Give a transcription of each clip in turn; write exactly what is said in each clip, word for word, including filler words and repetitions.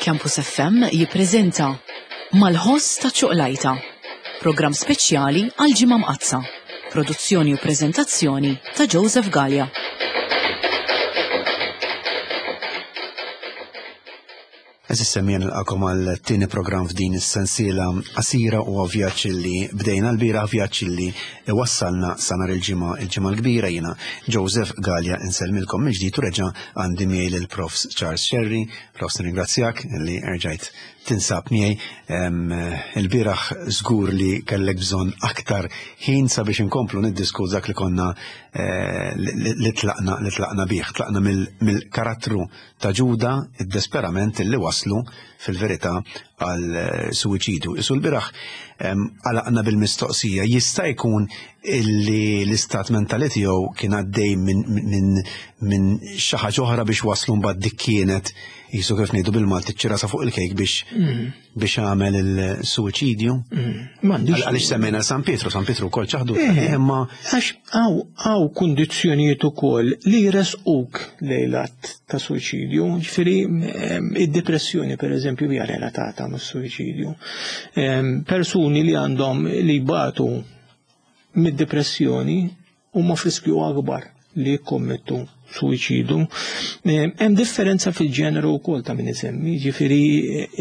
Campus F M jippreżenta Mal-ħoss ta' ċuqlajta, programm speċjali għal Ġimgħa Mqaddsa, produzzjoni u preżentazzjoni ta' Joseph Galea. Eżis semmija nilqakom għal tieni programm f'din is-sensiela qasira u vjaġġ li bdejna l-bieraħ, vjaġġ li wassalna sa nhar il-ġimgħa, il-ġimgħa l-kbira. Jiena Joseph Galea insellmilkom mill-ġdid u reġa' għandi miegħi lil Profs Charles Scerri. Profs, nirringrazzjak li erġajt tinsab miegħi. Il-bieraħ żgur li kellek bżonn aktar ħin sabiex inkomplu niddiskutu dak li konna li tlaqna, li tlaqna bih. Tlaqna mill-karattru ta' Ġuda, id-desperament li waslu fil-verità għal suwiċidu. Isu l-bieraħ għalaqna bil-mistoqsija, jista' jkun illi l-istat mentali tiegħu kien għaddej minn xi ħaġa oħra biex waslu mbagħad dik kienet jisu kif ngħidu bil-Malti ċ-ċirasa fuq il-kejk biex biex għamel il-suwiċidju? Għaliex semmejna San Pietru, San Pietru wkoll ċaħdu. Imma għax hawn kundizzjonijiet ukoll li jresquk lejn l-att ta' suwiċidju, ġifieri id-depressjoni pereżempju hija relatata mas-suwiċidju. Persuni li għandhom li jbatu mid-depressjoni huma f'riskju akbar li jikkommettu suwiċidu. Hemm differenza fil-ġeneru wkoll ta' min isemmi, ġifieri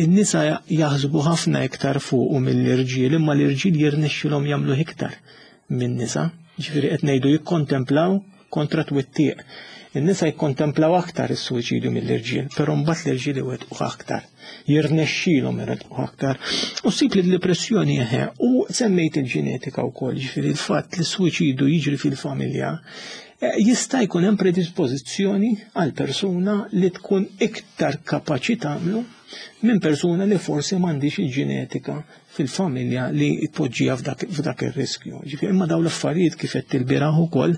n-nisa jaħsbu ħafna iktar fuq mill-irġiel, imma l-irġiel jirnexxilhom jagħmlu iktar min-nisa. Ġifieri qed ngħidu jikkontemplaw kontra twittiq. In-nisa jikkontemplaw aktar is-suwiċidju mill-irġiel, però mbagħad l-irġiel iwettqu aktar, jirnexxilhom iwettqu aktar. U ssib li d-depressjoni eħe, u semmejt il-ġenetika wkoll, ġifieri l-fatt li s-suwiċidju jiġri fil-familja jista' jkun hemm predispożizzjoni għal persuna li tkun iktar kapaċi tagħmlu minn persuna li forsi m'għandix il-ġenetika fil-familja li tpoġġiha f'dak ir-riskju. Ġifieri imma dawn l-affarijiet kif qed tilbieraħ ukoll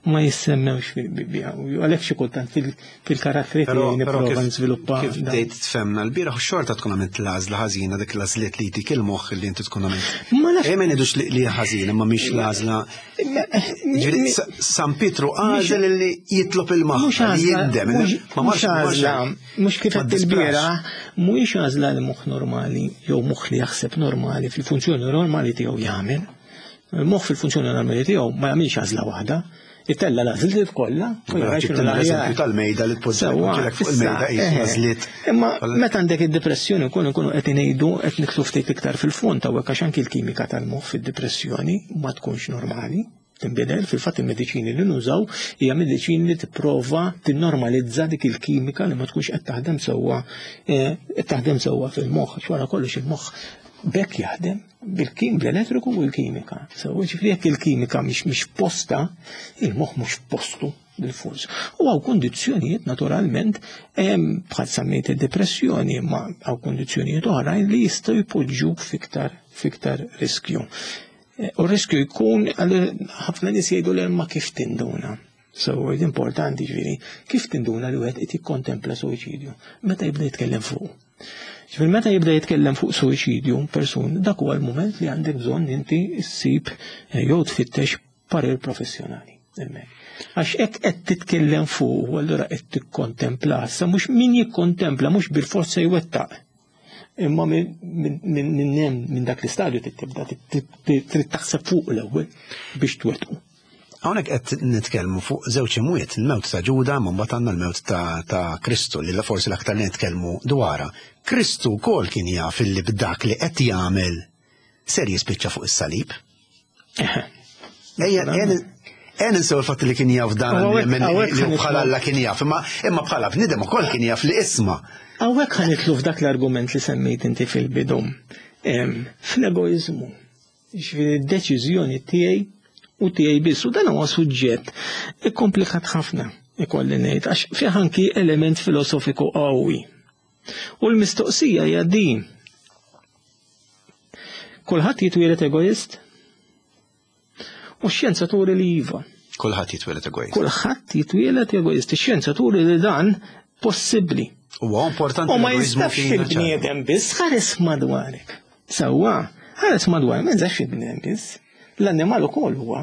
ma jissemmewx fil-Bibbja. Għalhekk xi kultant fil-karattri tiegħi nipprova niżviluppa. Kif bdejt tfemna l-bieraħ xorta tkun għamilt l-għażla ħażina, dik l-għażliet li jtik il-moħħ li inti tkun għamilt. Ejja ma ngħidux li ħażin, imma mhix l-għażla. Ġifieri San Pietru għażel li jitlob il-maħfra, li jindem. Mhux għażla, mhux kif qed tilbieraħ, mhuwiex għażla li moħħ normali jew moħħ li jaħseb normali fil-funzjoni normali tiegħu jagħmel. Il-moħħ fil-funzjoni normali tiegħu ma jagħmilx għażla waħda, itella l-għażliet kollha u jara x'inhu l-eżempju tal-mejda li tpoġġilek fuq il-mejda qis għażliet. Imma meta għandek id-depressjoni nkunu nkunu qed ngħidu qed nidħlu ftit iktar fil-fond hawnhekk għax anki l-kimika tal-moħħ fid-depressjoni ma tkunx normali. Tinbidel, fil-fatt il-mediċini li nużaw hija mediċini li tipprova tinnormalizza dik il-kimika li ma tkunx qed taħdem sewwa qed taħdem sewwa fil-moħħ, għax wara kollox il-moħħ bekk jaħdem bil-kim bl-elettriku u l-kimika. Sewwa ġifieri jekk il-kimika mhix mhix posta, il-moħħ mhux postu bil-fors. U hawn kundizzjonijiet naturalment bħal semmejt id-depressjoni, imma hawn kundizzjonijiet oħrajn li jistgħu jpoġġuk fiktar fiktar riskju. U r-riskju jkun, ħafna nies jgħidu li ma kif tinduna. So, importanti ġifieri, kif tinduna li wieħed qed jikkontempla suwiċidju? Meta jibda jitkellem fuq. Ġifieri meta jibda jitkellem fuq suwiċidju persun, dak huwa l-mument li għandek bżonn inti ssib jew tfittex parir professjonali. Għax hekk qed titkellem fuq, u allura qed tikkontempla. Sa mhux min jikkontempla mhux bil-forza jwettaq. Imma minn hemm minn dak l-istadju tibda trid taħseb fuq l-ewwel biex twettqu. Hawnhekk qed nitkellmu fuq żewġ imwiet, il-mewt ta' Ġuda, ma mbagħad għandna l-mewt ta' Kristu li forsi l-aktar li nitkellmu dwarha. Kristu wkoll kien jaf illi b'dak li qed jagħmel ser jispiċċa fuq is-salib. Ejja, Ejja ninsew il-fatt li kien jaf dan li bħala Alla kien jaf, imma bħala bniedem ukoll kien jaf li isma'. Hawnhekk ħa nitlu f'dak l-argument li semmejt inti fil-bidu. Fl-egoiżmu, ġifieri d-deċiżjoni tiegħi u tiegħi biss, u dan huwa suġġett ikkomplikat ħafna, ikolli ngħid, għax fih anki element filosofiku qawwi. U l-mistoqsija hija din. Kulħadd jitwieled egoist? U x-xjenza turi li iva. Kulħadd jitwieled egoist. Kulħadd jitwieled egoist. Ix-xjenza turi li dan possibbli. Huwa importanti. U ma jistax il-bniedem biss, ħares madwarek. Sewwa, ħares madwarek, ma jistax il-bniedem biss. L-annimal ukoll huwa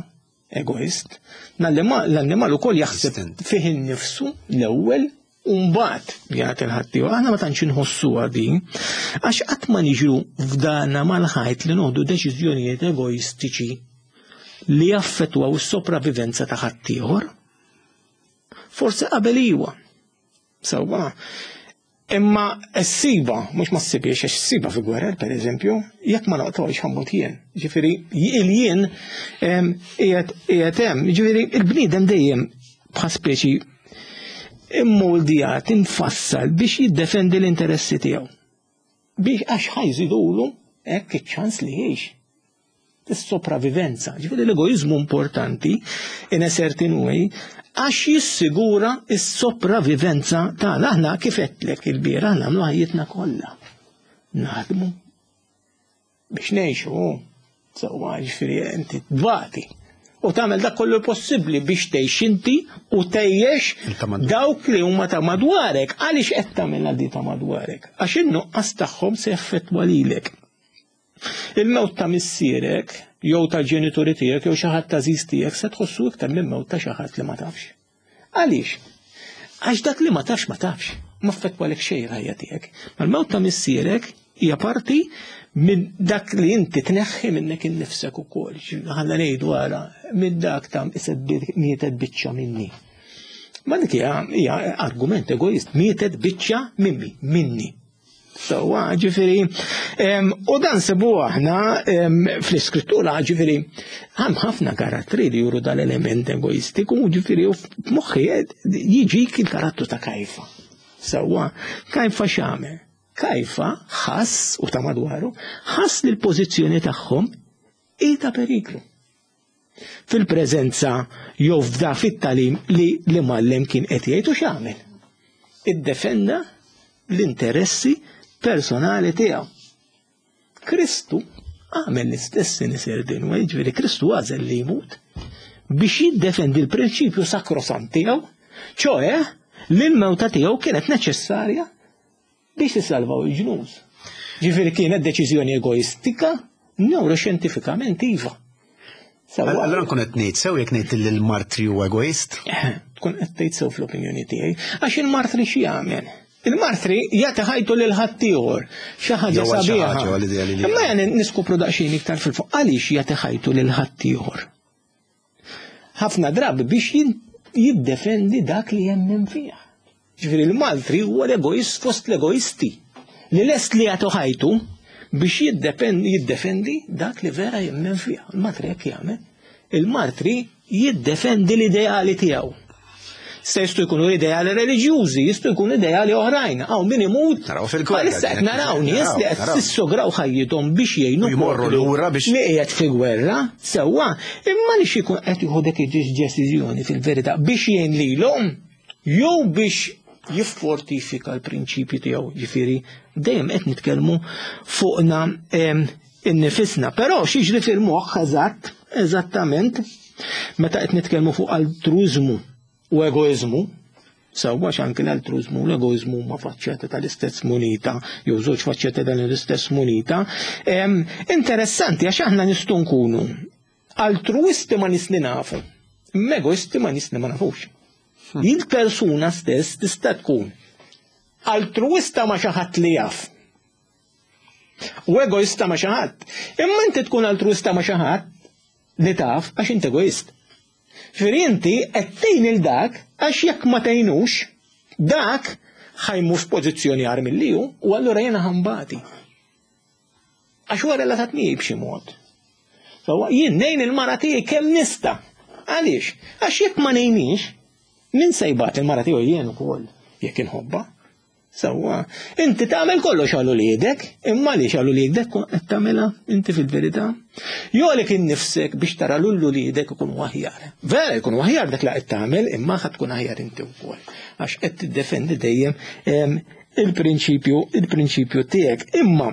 egoist. L-annimal ukoll jaħseb fih innifsu l-ewwel U mbagħad jagħti l-ħaddieħor. Aħna ma tantx inħossuha din, għax qatt ma niġu f'dana mal-ħajt li noħdu deċiżjonijiet egoistiċi li jaffettwaw is-sopravivenza ta' ħaddieħor. Forsi qabel iwa. Sewwa. Imma s-siba, mhux ma ssibiex, għax s-siba fi gwerer, per eżempju, jekk ma noqtolx ħammut jien. Ġifieri, il-jien qiegħed hemm. Ġifieri, il-bniedem dejjem bħal speċi immoldjat, infassal biex jiddefendi l-interessi tiegħu. Biex għax ħajżidulu hekk iċ-ċans li jgħix. Is-sopravivenza. Ġifieri l-egoiżmu importanti in a certain way għax jissigura s-sopravivenza tagħna. Aħna kif għedtlek il-bieraħ nagħmlu ħajjitna kollha. Naħdmu biex ngħixu. Sewwa, ġifieri inti tbati. U tagħmel dak kollu possibbli biex tgħix inti u tgħix dawk li huma ta' madwarek. Għaliex qed tagħmilha di ta' madwarek? Għax in-nuqqas tagħhom se jaffettwa lilek. Il-mewt ta' missierek, jew tal-ġenituri tiegħek, jew xi ħadd għażiż tiegħek se tħossu iktar minn mewt ta' xi ħadd li ma tafx. Għaliex? Għax dak li ma tafx ma tafx, ma affettwalek xejn il-ħajja tiegħek. Ma l-mewt ta' missierek hija parti minn dak li inti tneħħi minnek innifsek ukoll. Ħalla ngħidu ara minn dak ta' mietet biċċa minni. Ma dik hija argument egoist, mietet biċċa minni, minni. Sewwa, ġifieri, u dan sebu aħna fl-iskrittura, ġifieri, hemm ħafna karattri li juru dal-element egoistiku, ġifieri, u f'moħħi jiġik il-karattru ta' Kajfa. Sewwa, Kajfa x'għamel? Kajfa ħass, u ta' madwaru, ħass li l-pożizzjoni tagħhom hi ta' periklu. Fil-preżenza jew f'da fit-talim li l-imgħallem kien qed jgħid u x'għamel? Iddefenda l-interessi personali tiegħu. Kristu għamel l-istess in a certain way, ġifieri Kristu għażel li jmut biex jiddefendi l-prinċipju sakrosant tiegħu, ċoe li l-mewta tiegħu kienet neċessarja biex isalvaw il-ġnus. Ġifieri kienet deċiżjoni egoistika, neuroxjentifikament iva. Allora nkun qed ngħid sew jekk ngħid li l-martri huwa egoist? Tkun qed tgħid sew fl-opinjoni tiegħi, għax il-martri xi jagħmel? Il-martri jagħti ħajtu lil ħaddieħor, xi ħaġa sabiħa. Imma jien niskopru daqsxejn iktar fil-fuq għaliex jagħti ħajtu lil ħaddieħor. Ħafna drabi biex jiddefendi dak li jemmen fih. Ġifieri l-martri huwa l-egoist fost l-egoisti li lest li jagħtu ħajtu biex jiddefendi dak li vera jemmen fih. Il-martri hekk jagħmel. Il-martri jiddefendi l-ideali tiegħu. Se jistgħu jkunu ideali reliġjużi, jistgħu jkunu ideali oħrajn. Hawn min imut. Naraw fil-gwerra. Issa qed naraw nies li qed sissograw ħajjithom biex jgħinu jmorru lura biex li qiegħed fi gwerra, sewwa, imma li xi jkun qed jieħu dik id-deċiżjoni fil-verità biex jgħin lilhom jew biex jiffortifika l-prinċipji tiegħu. Ġifieri dejjem qed nitkellmu fuqna innifisna. Però x'jiġri fil-moħħ eżatt, eżattament, meta qed nitkellmu fuq altruiżmu u egoizmu, sewwa anke l-altruiżmu u l-egoizmu huma faċċetta tal-istess munita, jew żewġ faċċetta tal-istess munita. Interessanti għax aħna nistgħu nkunu altruisti ma nies li nafu, imma egoisti ma nies li ma nafux. Il-persuna stess tista' tkun altruista ma xi ħadd li jaf u egoista ma xi ħadd. Imma inti tkun altruista ma xi ħadd li taf għax inti egoist. Ġifieri inti qed tgħin il dak għax jekk ma tgħinux dak ħajmur f'pożizzjoni agħar milli hu u allura jiena ħambati. Għax huwa relatat miegħi b'xi mod. Sewwa jien ngħin il-mara tiegħi kemm nista'. Għaliex? Għax jekk ma ngħinix, min se jbagħat il-mara tiegħu jien ukoll jekk inħobbha. Sewwa, inti tagħmel kollox għal uliedek, imma għaliex għal uliedek qed tagħmilha inti fil-verità? Jew għalek innifsek biex tara lil uliedek ikunu aħjar. Vera jkunu aħjar dak li qed tagħmel, imma ħadd tkun aħjar inti wkoll. Għax qed tiddefendi dejjem il-prinċipju, il-prinċipju tiegħek. Imma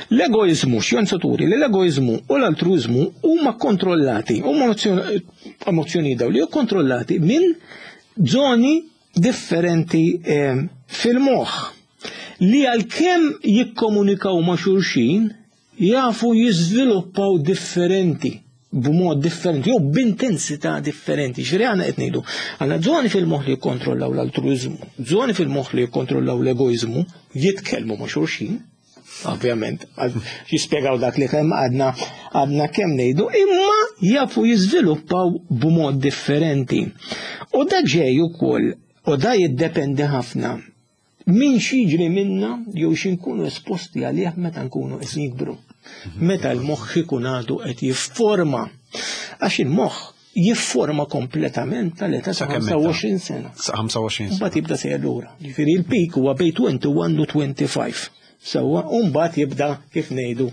l-egoizmu, xjenza turi li l-egoizmu u l-altruizmu huma kontrollati, huma emozzjoni daw li kontrollati minn zoni differenti eh, fil-moħħ li għalkemm jikkomunikaw ma' xulxin jafu jiżviluppaw differenti. b'mod differenti jew b'intensità differenti. Ġifieri aħna qed ngħidu għandna żoni fil-moħħ li jikkontrollaw l-altruiżmu, żoni fil-moħħ li jikkontrollaw l-egoiżmu, jitkellmu ma' xulxin, ovvjament, jispjegaw dak li kemm għadna għadna kemm ngħidu, imma jafu jiżviluppaw b'mod differenti. U da ġej ukoll, u da jiddependi ħafna min x'jiġri minna jew x'inkunu esposti għalih meta nkunu qed nikbru. Meta l-moħħ ikun għadu qed jifforma. Għax il-moħħ jifforma kompletament tal-età ta' ħamsa u għoxrin sena. Sa ħamsa u għoxrin sena. Mbagħad jibda sejjer lura. Ġifieri il-peak huwa bejn twenty-one u twenty-five. Sewwa, u mbagħad jibda kif ngħidu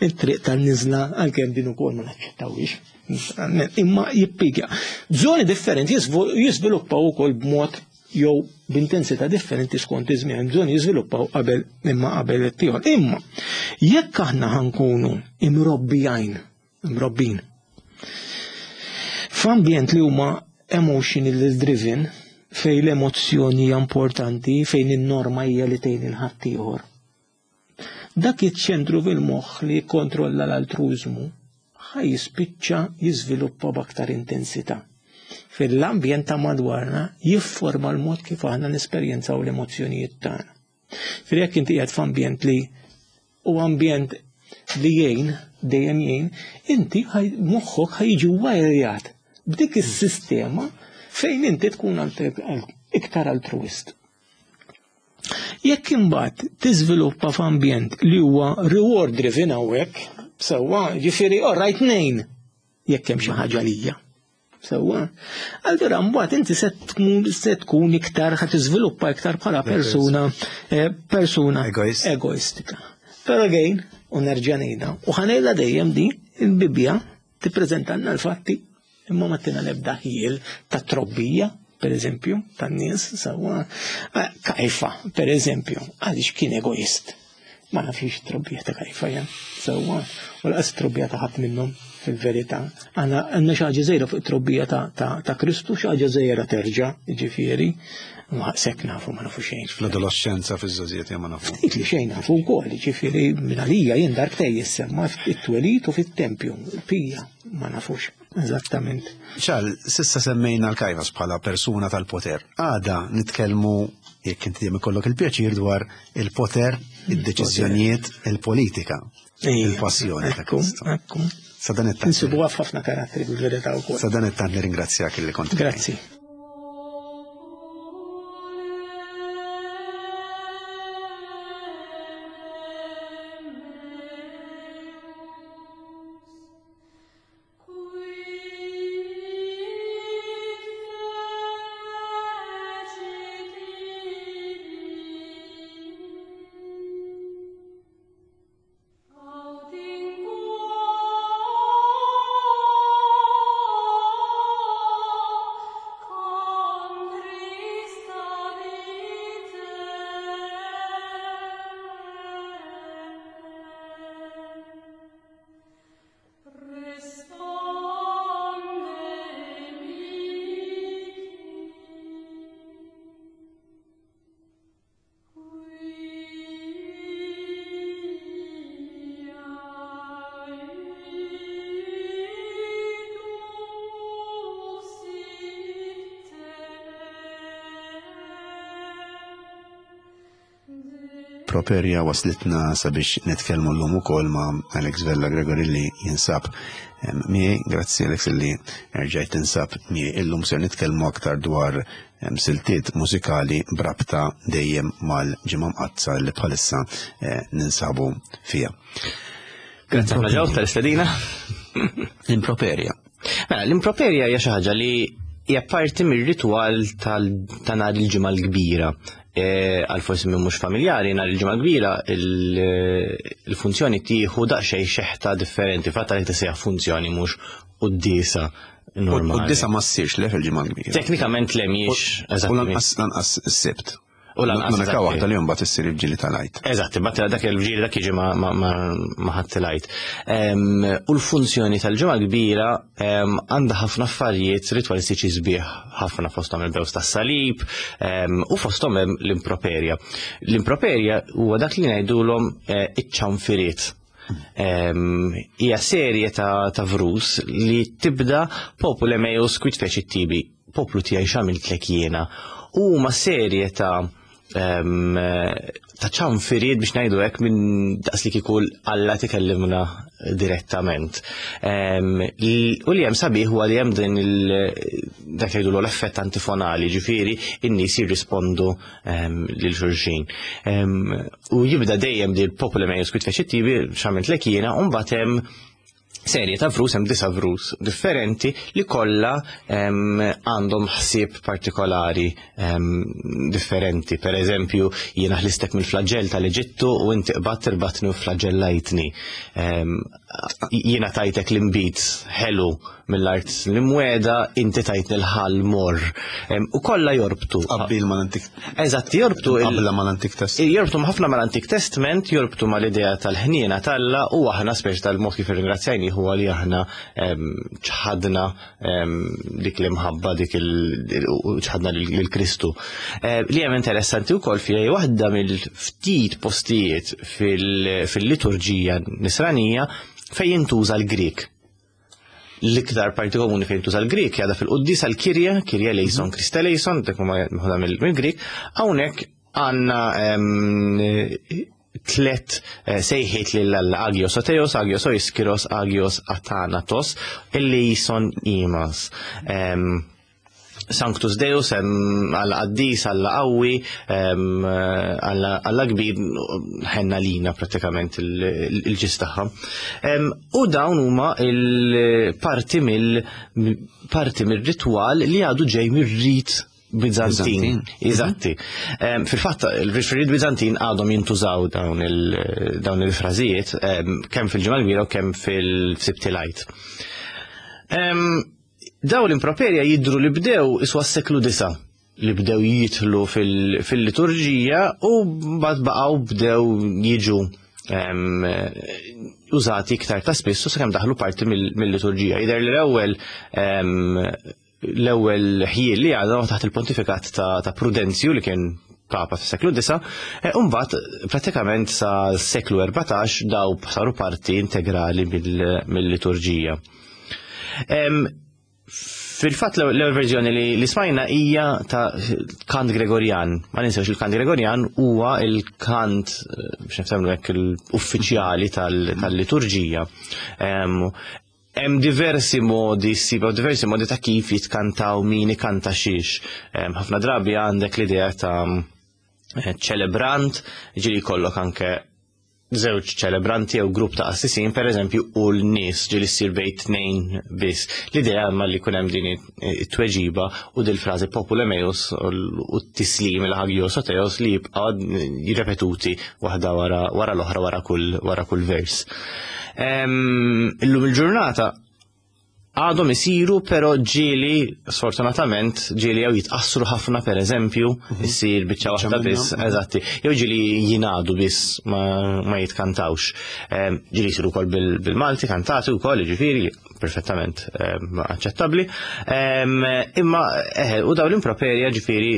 it-triq tan-niżla għalkemm din ukoll ma naċċettawhiex. Imma jippikja. Żoni differenti jiżviluppaw ukoll b'mod jew b'intensità differenti skont iż-żmien, bżonn jiżviluppaw qabel imma qabel it-tieħor. Imma jekk aħna ħankunu imrobbijajn, imrobbin, f'ambjent li huma emotionally driven, fejn l-emozzjoni hija importanti, fejn in-norma hija li tgħin il-ħaddieħor. Dak iċ-ċentru fil-moħħ li jikkontrolla l-altruiżmu ħaj jispiċċa jiżviluppa b'aktar intensità. Fil-ambjent ta' madwarna jifforma l-mod kif aħna nesperjenzaw l-emozzjonijiet tagħna. Fil jekk inti qiegħed f'ambjent li u ambjent li jgħin, dejjem jgħin, inti moħħok ħajġi wajrjat b'dik is-sistema fejn inti tkun iktar altruist. Jekk imbagħad tiżviluppa f'ambjent li huwa reward driven hawnhekk, sewwa, ġifieri all right nejn jekk hemm xi ħaġa lija. Sewwa. Allura mbagħad inti se tkun, se tkun iktar ħa tiżviluppa iktar bħala persuna, eh, persuna Egoist. egoistika. Però again, u nerġa' ngħidha, u ħa ngħidha dejjem di, il-Bibbja tippreżentalna l-fatti imma ma tina l-ebda ħiel ta' trobbija, per eżempju, tan-nies, sewwa. Eh, Kajfa, per eżempju, għaliex kien egoist. Ma nafx trobbija ta' Kajfa jen, sewwa. U lanqas trobbija ta' ħadd minnhom fil-verità. Għandna, għandna xi ħaġa żgħira fuq it-trobbija ta', ta', ta' Kristu, xi ħaġa żgħira terġa', jiġifieri, ma sekk nafu, ma nafu xejn. Fl-adolescenza, fiż-żgħożijiet ma nafu. Ftit li xejn nafu wkoll, jiġifieri minn għalija jien darbtej jissemma fit-twelid u fit-tempju, pija, ma nafux eżattament. Ċal, sissa semmejna l-Kajfas bħala persuna tal-poter. Għada nitkellmu, jekk inti dejjem ikollok il-pjaċir, dwar il-poter, id-deċiżjonijiet, il-politika, Ejja, il-passjoni ta' ekku, Kristu. ekku. Sa dan it-tant. Insibuha f'ħafna karattri bil-verità wkoll. Sa dan it-tant nirringrazzjak li kont. Grazzi. Properja waslitna sabiex nitkellmu llum ukoll ma' Alex Vella Gregory li jinsab miegħi. Grazzi Alex li erġajt tinsab miegħi. Illum ser nitkellmu aktar dwar, em, siltiet mużikali brabta dejjem mal-Ġimgħa Mqaddsa li bħalissa, eh, ninsabu fija. Grazzi ħafna ġew tal-istedina. L-improperja. Mela, l-improperja hija xi ħaġa li hija parti mir-ritwal tal-, ta' nhar il-Ġimgħa l-Kbira. E, għal forsi minn mhux familjari, nhar il-Ġimgħa l-Kbira il-, il-funzjoni tieħu daqsxejn xeħta differenti, fatta li tisejjaħ funzjoni mhux quddiesa normali. Quddiesa ma ssirx le fil-Ġimgħa l-Kbira. Teknikament le mhijiex, U eżatt. lanqas, lanqas is-Sibt. U lanqas, L-unika eżatt. waħda li mbagħad issir il-ġili tal-Għid. Eżatt, imbagħad dak il-ġili dak jiġi ma-, ma-, ma-, ma' ħadd il-Għid. Em, u l-funzjoni tal-Ġimgħa l-Kbira, em, għandha ħafna affarijiet ritwalistiċi sbieħ ħafna, fosthom il-bews tas-salib, em, u fosthom hemm l-improperja. L-improperja huwa dak li ngħidulhom, eh, iċ-ċanfiriet. Hija serje ta', ta' vrus li tibda popule meus quid fecit tibi, poplu tiegħi x'għamiltlek jiena. U huma serje ta' em, ta' ċanfiriet biex ngħidu hekk minn daqs li kieku Alla tikellimna direttament. Em, l- U li hemm sabiħ huwa li hemm din il dak li jgħidu l-effett antifonali, ġifieri in-nies jirrispondu em, lil xulxin. Em, U jibda dejjem di popule meus quid fecit tibi x'għamiltlek jiena, u mbagħad hemm serje ta' vrus, hemm disa' vrus differenti li kollha em, għandhom ħsieb partikolari em, differenti. Per eżempju, jiena ħlistek mill-flagell tal-Eġittu u inti qbadt irbatni u flagellajtni. Em, Jiena tajtek l-imbit ħelu mill-art l-imwiegħda, inti tajtni l-ħall morr. Em, U kollha jorbtu. Qabbil mal-Antik Eżatt, jorbtu il- qabla mal-Antik Testament. Jorbtu ħafna mal-Antik Testament, jorbtu mal-idea tal-ħniena t'Alla u aħna speċi tal-mod kif irringrazzjajni huwa li aħna em, ċħadna em, dik l-imħabba dik il- u ċħadna lil Kristu. Eh, Li hemm interessanti wkoll fija hija waħda mill-ftit postijiet fil- fil-liturġija nisranija fejn jintuża l-Grik. L-iktar parti komuni fejn tuża l-Grik jgħada fil-Quddisa l-Kirja, Kirja eleison, Christe eleison, dik huma meħuda mill-Grik, hawnhekk għandna em, tlet eh, sejħiet lil Alla Agios o Theos, Agios o Iskiros, Agios Athanatos, eleison imas. Em, Sanctus Deus, em, Alla qaddis, Alla qawwi, em, Alla Alla kbir, ħenna lina pratikament il-ġis tagħha. Em, U dawn huma il-parti mill parti mir-ritwal li għadu ġej mir-rit Bizantin. Bizantin. Eżatti. Em, Fil-fatt, il-rit Bizantin għadhom jintużaw dawn il- dawn il-frażijiet em, kemm fil-Ġimgħa l-Kbira u kemm fil-Sibt il-Għid. Em, Daw l-improperja jidru li bdew iswa s-seklu disa li bdew jitlu fil- fil-liturġija u mbagħad baqgħu bdew jiġu em, użati iktar ta' spiss u sakemm daħlu parti mill- mill-liturġija. Jidher li l-ewwel em, l-ewwel ħjiel li għadha taħt il-pontifikat ta', ta' Prudenzju li kien papa fis-seklu disa, e, u mbagħad pratikament sa seklu erbatax daw saru parti integrali mill- mill-liturġija. Em, Fil-fatt l-ewwel verżjoni li, li smajna hija ta' kant Gregorjan. Ma ninsewx il-kant Gregorjan huwa il-kant eh, biex niftemlu hekk l-uffiċjali tal- tal-liturġija. Em, Hemm diversi modi, ssibu diversi modi ta' kif jitkantaw min ikanta xiex. Em, Ħafna drabi għandek l-idea ta' eh, ċelebrant, ġieli jkollok anke żewġ ċelebranti jew grupp ta' qassisin, per eżempju, u l-nies ġieli ssir bejn tnejn biss. L-idea imma li jkun hemm din it-tweġiba u dil-frażi popule meus u t-tislim il-Agios o Theos li jibqa' jirrepetuti waħda wara wara l-oħra wara kull wara kull vers. Em, Illum il-ġurnata għadhom isiru, pero ġieli, sfortunatament, ġieli jew jitqassru ħafna, per eżempju, issir biċċa waħda minnhom. biss, eżatti, jew ġieli jingħadu biss ma, ma jitkantawx. Em, Ġieli jisiru wkoll bil- bil-Malti, kantati wkoll, ġifieri, perfettament em, aċċettabbli. Em, Imma, eħe, u daw l-improperja ġifieri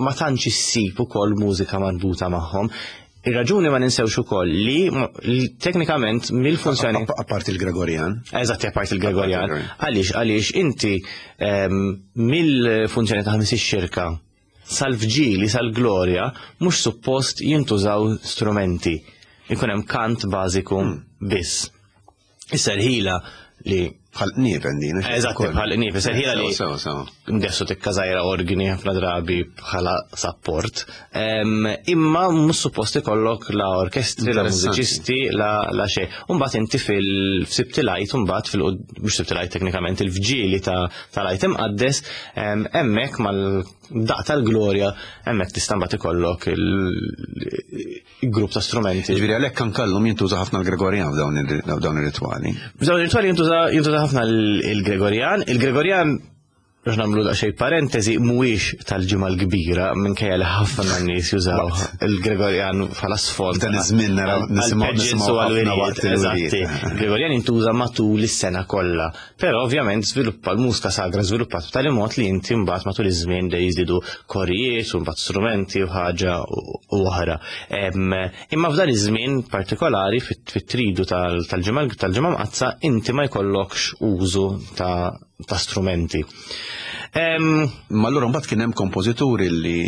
ma tantx issib ukoll mużika marbuta magħhom. Ir-raġuni ma ninsewx ukoll li, li teknikament mill-funzjoni Apparti il-Gregorjan. Eżatt, apparti il-Gregorjan. Apparti il-Gregorjan. Għaliex, għaliex inti em, mill-funzjoni ta' ħamis ix-xirka sal-vġili, sal-glorja, mhux suppost jintużaw strumenti. Ikun hemm kant bażiku biss. Issa l-ħila li Bħal qniepen din. Eżatt, bħal qniepen, serħila li Sewa, sewa. ndessu tikka żgħira organi ħafna drabi bħala support. Em, Imma mhux suppost ikollok la orkestri, la Interessanti. mużiċisti, la, la xejn. Umbagħad inti fil-Sibt il-Għid, umbagħad fil mhux Sibt il-Għid teknikament, il-vġili ta' tal-Għid imqaddes, em, hemmhekk mal-daq tal-glorja, hemmhekk tista' mbagħad ikollok il-grupp ta' strumenti. Ġifieri għalhekk kan kallhom jintuża ħafna l-Gregorjan f'dawn il- f'dawn ir-ritwali. F'dawn ir-ritwali jintuża jintuża ħafna l- il-Gregorjan. Il-Gregorjan Biex nagħmlu daqsxejn parentesi, mhuwiex tal-Ġimgħa l-Kbira, minkejja li ħafna nies jużaw il-Gregorjan bħala sfond. Dan iż-żmien naraw nisimgħu nisimgħu ħafna waqt il-wiriet. Gregorjan jintuża matul is-sena kollha, però ovvjament żviluppa l-mużika sagra żviluppat b'tali mod li inti mbagħad matul iż-żmien dej jiżdiedu korijiet u mbagħad strumenti u ħaġa u oħra. Imma f'dan iż-żmien partikolari fit-tridu tal-Ġimgħa tal-Ġimgħa Mqaddsa inti ma jkollokx użu ta' ta' strumenti. Ma allura mbagħad kien hemm kompożituri li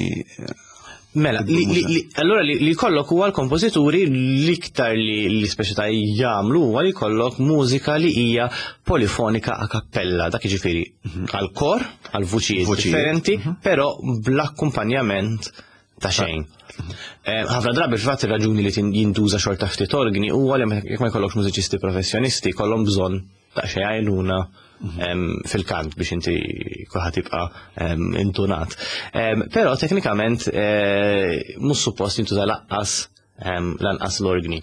Mela, li, li, li, allura li, li kollok huwa l-kompożituri l-iktar li, li speċi ta' jagħmlu huwa li kollok mużika li hija polifonika a cappella, dak jiġifieri għal kor, għal vuċijiet differenti, però bl-akkumpanjament ta' xejn. Ħafna drabi fil-fatt ir-raġuni li jintuża xorta ftit organi huwa li jekk ma jkollokx mużiċisti professjonisti kollhom bżonn ta' xejn għajnuna fil-kant biex inti kulħadd jibqa' intunat. Però teknikament mhux suppost jintuża lanqas lanqas l-organi.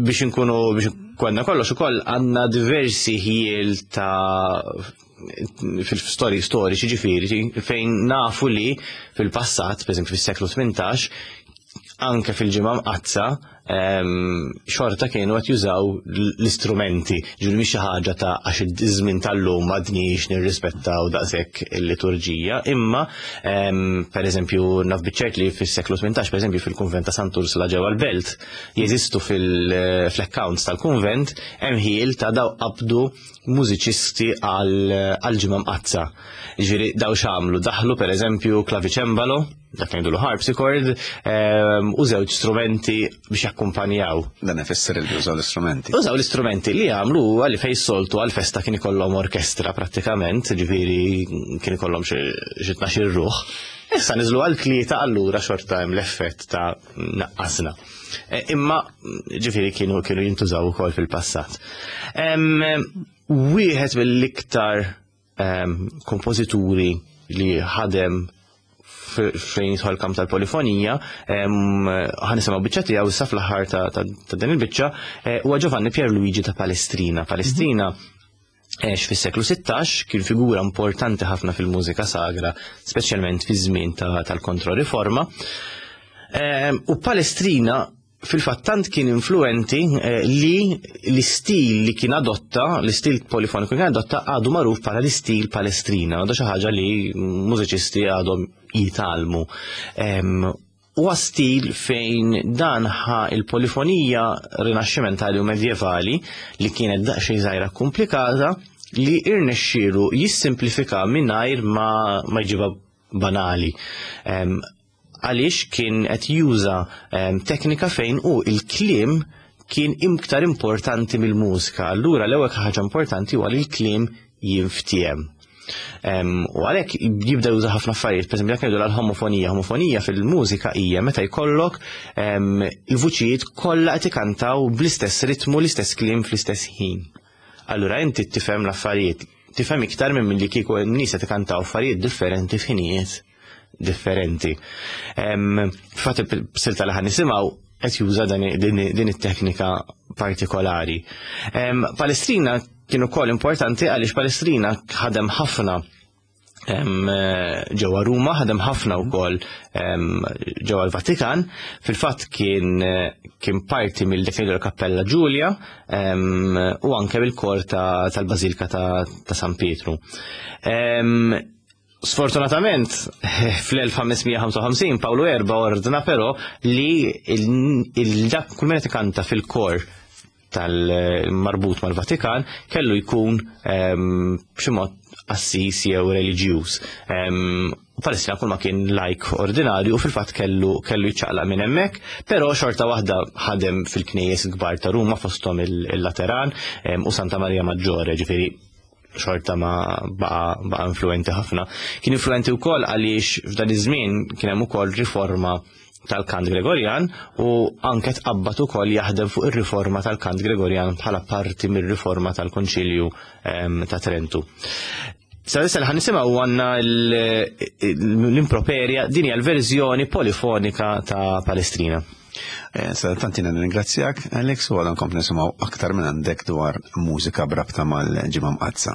Biex inkunu biex konna kollox ukoll għandna diversi ħiel ta' fil-stori storiċi ġifieri fejn nafu li fil-passat, pereżempju fis-seklu tmintax, anke fil-Ġimgħa Mqaddsa xorta kienu qed jużaw l-istrumenti, ġifieri mhix xi ħaġa ta' għax iż-żmien tal-lum m'għadniex nirrispettaw daqshekk il-liturġija, imma pereżempju naf biċ-ċert li fis-seklu tmintax, pereżempju fil-kunvent ta' Sant'Ursula ġewwa l-Belt, jeżistu fil-accounts tal-kunvent hemm ħiel ta' daw qabdu mużiċisti għal-Ġimgħa Mqaddsa. Ġifieri daw x'għamlu, daħlu pereżempju klaviċembalo, dak li ngħidulu harpsichord, u żewġ strumenti biex jakkumpanjaw. Dan ifisser li użaw l-istrumenti. Użaw l-istrumenti li għamlu huwa li fejn soltu għal-festa kien ikollhom orkestra prattikament, ġifieri kien ikollhom xi tnax-il ruħ. Issa niżlu għal tlieta allura xorta hemm l-effett ta' naqqasna. Imma ġifieri kienu kienu jintużaw ukoll fil-passat. Wieħed mill-iktar kompożituri li ħadem fejn jidħol kamp tal-polifonija, ħa nisimgħu biċċa tiegħu issa fl-aħħar ta' din il-biċċa, huwa Giovanni Pierluigi ta' Palestrina. Palestrina għex fis-seklu sittax, kien figura importanti ħafna fil-mużika sagra, speċjalment fi żmien tal-Kontroriforma. U Palestrina fil-fatt tant kien influenti li l-istil li kien adotta, l-istil polifoniku kien adotta għadu magħruf bħala l-istil Palestrina, u da xi ħaġa li mużiċisti għadhom jitalmu. Huwa stil fejn dan ħa il-polifonija rinaxximentali u medjevali li kienet daqsxejn żgħira komplikata li irnexxielu jissimplifika mingħajr ma, ma jġibha banali. Għaliex kien qed juża teknika fejn u il-kliem kien iktar importanti mill-mużika. Allura l-ewwel ħaġa importanti huwa li l-kliem jinftiehem. U għalhekk jibda juża ħafna affarijiet, pereżempju jekk ngħidu l-homofonija, homofonija fil-mużika hija meta jkollok il-vuċijiet kollha qed ikantaw bl-istess ritmu, l-istess kliem fl-istess ħin. Allura inti tifhem l-affarijiet, tifhem iktar minn milli kieku n-nies qed ikantaw affarijiet differenti f'ħinijiet differenti. Fatt il-silta li ħan nisimgħu qed juża din it-teknika partikolari. Palestrina kien ukoll importanti għaliex Palestrina ħadem ħafna ġewwa Ruma, ħadem ħafna wkoll ġewwa l-Vatikan. Fil-fatt kien kien parti mill-dik Cappella Giulia u anke bil-kor tal-Bażilika ta' San Pietru. Sfortunatament, fl-elf ħames mija ħamsa u ħamsin Paolo Erba ordna però li il-dak kull min qed ikanta fil-kor tal-marbut mal-Vatikan kellu jkun b'xi mod qassis jew reliġjuż. Palestrina kull ma kien lajk ordinarju u fil-fatt kellu kellu jiċċaqlaq minn hemmhekk, però xorta waħda ħadem fil-knejjes kbar ta' Ruma fosthom il-Lateran u Santa Maria Maggiore, ġifieri xorta ma baqa, baqa influenti ħafna. Kien influenti wkoll għaliex f'dan iż-żmien kien hemm ukoll riforma tal-kant Gregorjan u anke tqabbad ukoll jaħdem fuq ir-riforma tal-kant Gregorjan bħala parti mir-riforma tal-Konċilju ta' Trentu. Sa issa li ħan nisimgħu għandna l-improperja, din hija l-verżjoni polifonika ta' Palestrina. Sa tantina nirringrazzjak, Alex, u għadha nkomplu nisimgħu aktar minn għandek dwar mużika b'rabta mal-Ġimgħa Mqaddsa.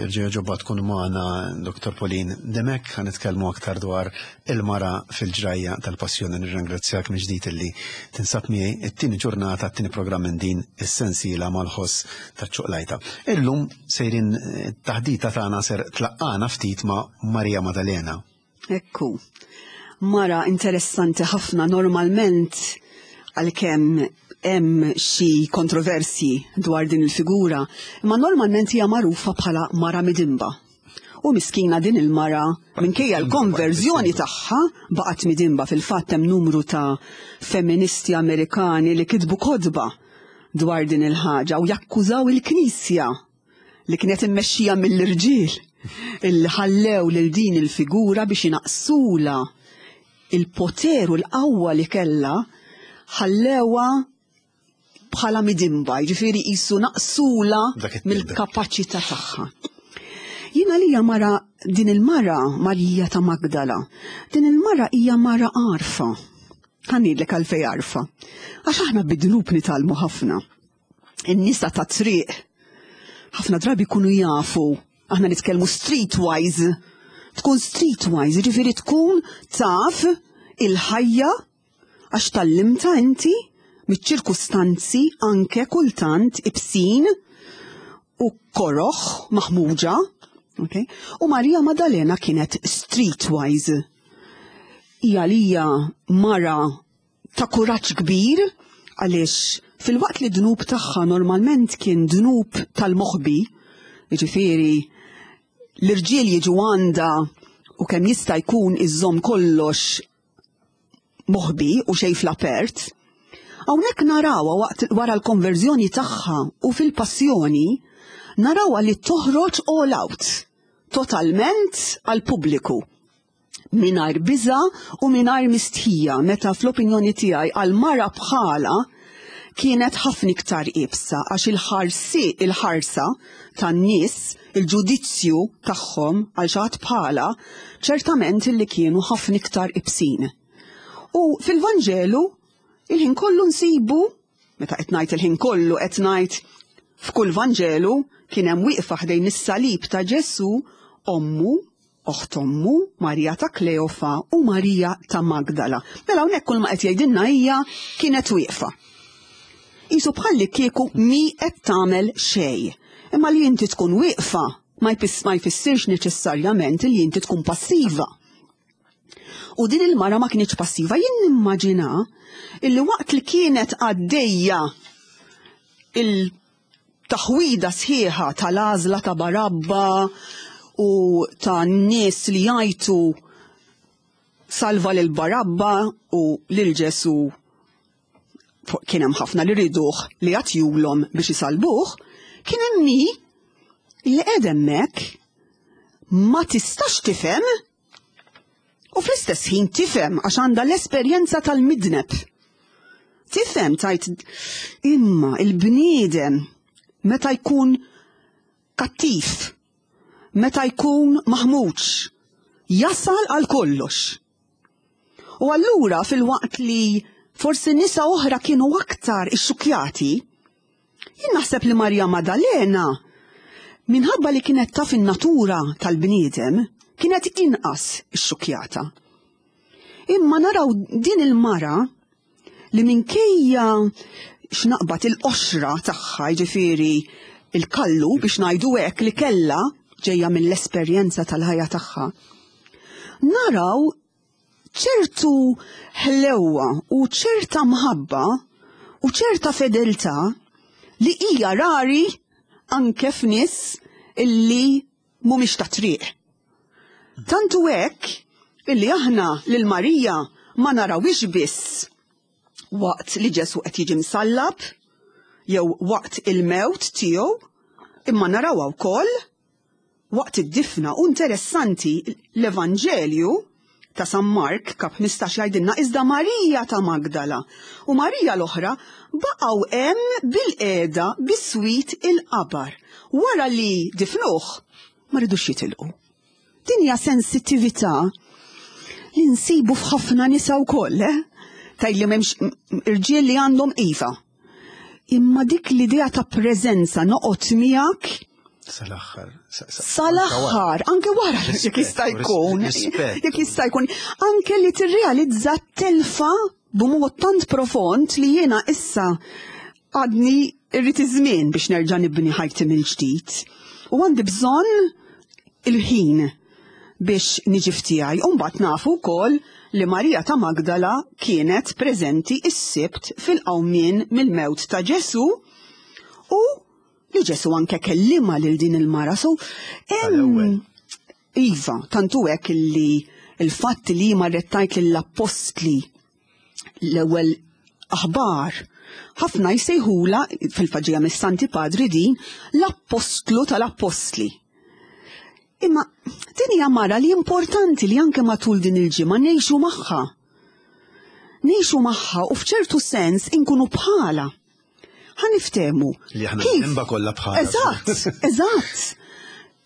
Jerġa' jogħġobha tkun magħna Doktor Pauline Demek, ħa nitkellmu aktar dwar il-mara fil-ġrajja tal-passjoni. Nirringrazzjak mill-ġdid illi tinsab miegħi it-tieni ġurnata, t-tieni programm minn din is-sensiela mal-ħoss taċ-ċuqlajta. Illum sejrin taħdita tagħna ser tlaqqana ftit ma' Marija Maddalena. Ekku. Mara interessanti ħafna. Normalment, għalkemm hemm xi kontroversji dwar din il-figura, imma normalment hija magħrufa bħala mara midinba. U miskina din il-mara, minkejja l-konverżjoni tagħha, baqgħet midinba. Fil-fatt hemm numru ta' feministi Amerikani li kitbu kotba dwar din il-ħaġa u jakkużaw il-Knisja li kienet immexxija mill-irġiel illi ħallew lil din il-figura biex inaqsula il-poter u l-qawwa li kella, ħallewa bħala midinba, ġifieri jisu naqsula Dak it-tibber. mill-kapaċità tagħha. Jiena li mara din il-mara Marija ta' Magdala, din il-mara hija mara għarfa. Ħa ngħidlek għalfej għarfa. Għax aħna bid-dnub nitgħallmu ħafna. In-nisa ta' triq ħafna drabi jkunu jafu, aħna nitkellmu streetwise, tkun streetwise, ġifieri tkun taf il-ħajja għax tgħallimtha inti miċ-ċirkustanzi anke kultant ibsin u koroħ maħmuġa. Okay? U Marija Maddalena kienet streetwise. Hija lija mara ta' kuraġġ kbir, għaliex filwaqt li dnub tagħha normalment kien dnub tal-moħbi, jiġifieri l-irġiel jiġu għandha u kemm jista' jkun iżżomm kollox moħbi u xejn fl-apert, hawnhekk narawha waqt wara l-konverżjoni tagħha u fil-passjoni, narawha li toħroġ all out, totalment għal pubbliku, mingħajr biża u mingħajr mistħija, meta fl-opinjoni tiegħi għal mara bħala kienet ħafna iktar iebsa, għax il-ħarsi il-ħarsa tan-nies, il-ġudizzju tagħhom għal xi ħadd bħala, ċertament li kienu ħafna iktar ibsin. U fil-Vanġelu il-ħin kollu nsibu, meta qed ngħid il-ħin kollu, qed ngħid f'kull Vanġelu, kien hemm wieqfa ħdejn is-salib ta' Ġesu ommu, oħt ommu, Marija ta' Kleofa u Marija ta' Magdala. Mela hawnhekk kull ma qed jgħidilna hija kienet wieqfa. Isu bħalli kieku mi qed tagħmel xejn. Imma li inti tkun wieqfa ma jfis- ma jfissirx neċessarjament li inti tkun passiva. U din il-mara ma kienx passiva. Jien nimmaġina illi waqt li kienet għaddejja il-taħwida sħiħa tal-għażla ta' Barabba u ta' nies li jgħajtu "salva lil Barabba" u lil Ġesu kien hemm ħafna li riduh li jagħtihulhom biex isalbuh, kien hemm mi li qed hemmhekk ma tistax tifhem u fl-istess ħin tifhem għax għandha l-esperjenza tal-midneb. Tifhem, tajt imma il-bniedem meta jkun kattiv, meta jkun maħmuġ, jasal għal kollox. U allura filwaqt li forsi nisa oħra kienu aktar ixxukjati, jien naħseb li Marja Maddalena, minħabba li kienet taf in-natura tal-bniedem, kienet inqas ixxukjata. Imma naraw din il-mara li minkejja x'naqbad il-qoxra tagħha, jiġifieri il-kallu biex ngħidu hekk li kella ġejja mill-esperjenza tal-ħajja tagħha. Naraw ċertu ħlewwa u ċerta mħabba u ċerta fedeltà li hija rari anke f'nies illi mhumiex ta' triq. Tantu hekk illi aħna lil Marija ma narawix biss waqt li Ġesu qed jiġi msallab jew waqt il-mewt tiegħu, imma narawha wkoll waqt id-difna. U interessanti, l-Evanġelju ta' San Mark kap ħmistax jgħidilna: "Iżda Marija ta' Magdala u Marija l-oħra baqgħu hemm bilqiegħda biswit il-qabar." Wara li difnuh ma ridux jitilqu. Din hija sensittività li nsibu f'ħafna nisa wkoll, eh? Tgħid li m'hemmx irġiel li għandhom, iva. Imma dik l-idea ta' preżenza, noqgħod miegħek. Sal-aħħar. Sal-aħħar, anke wara jekk jista' jkun. Jekk jista' jkun. Anke li tirrealizza telfa b'mod tant profond li jiena issa għadni irrid iż-żmien biex nerġa' nibni ħajti mill-ġdid. U għandi bżonn il-ħin biex niġi f'tiegħi. U mbagħad nafu wkoll li Marija ta' Magdala kienet preżenti s-Sibt fil-qawmien mill-mewt ta' Ġesu u li Ġesu anke kellima lil din il-mara. So, iva, tantu hekk li il-fatt li marret tajt lill-appostli l-ewwel aħbar, ħafna jsejħula fil-faġija mis-Santi Padri din l-appostlu tal-appostli. Imma din hija mara li importanti li anke matul din il-ġimgħa ngħixu magħha. Ngħixu magħha u f'ċertu sens inkunu bħala. Ħa niftehmu. Li aħna nimba kollha bħala. Eżatt, eżatt.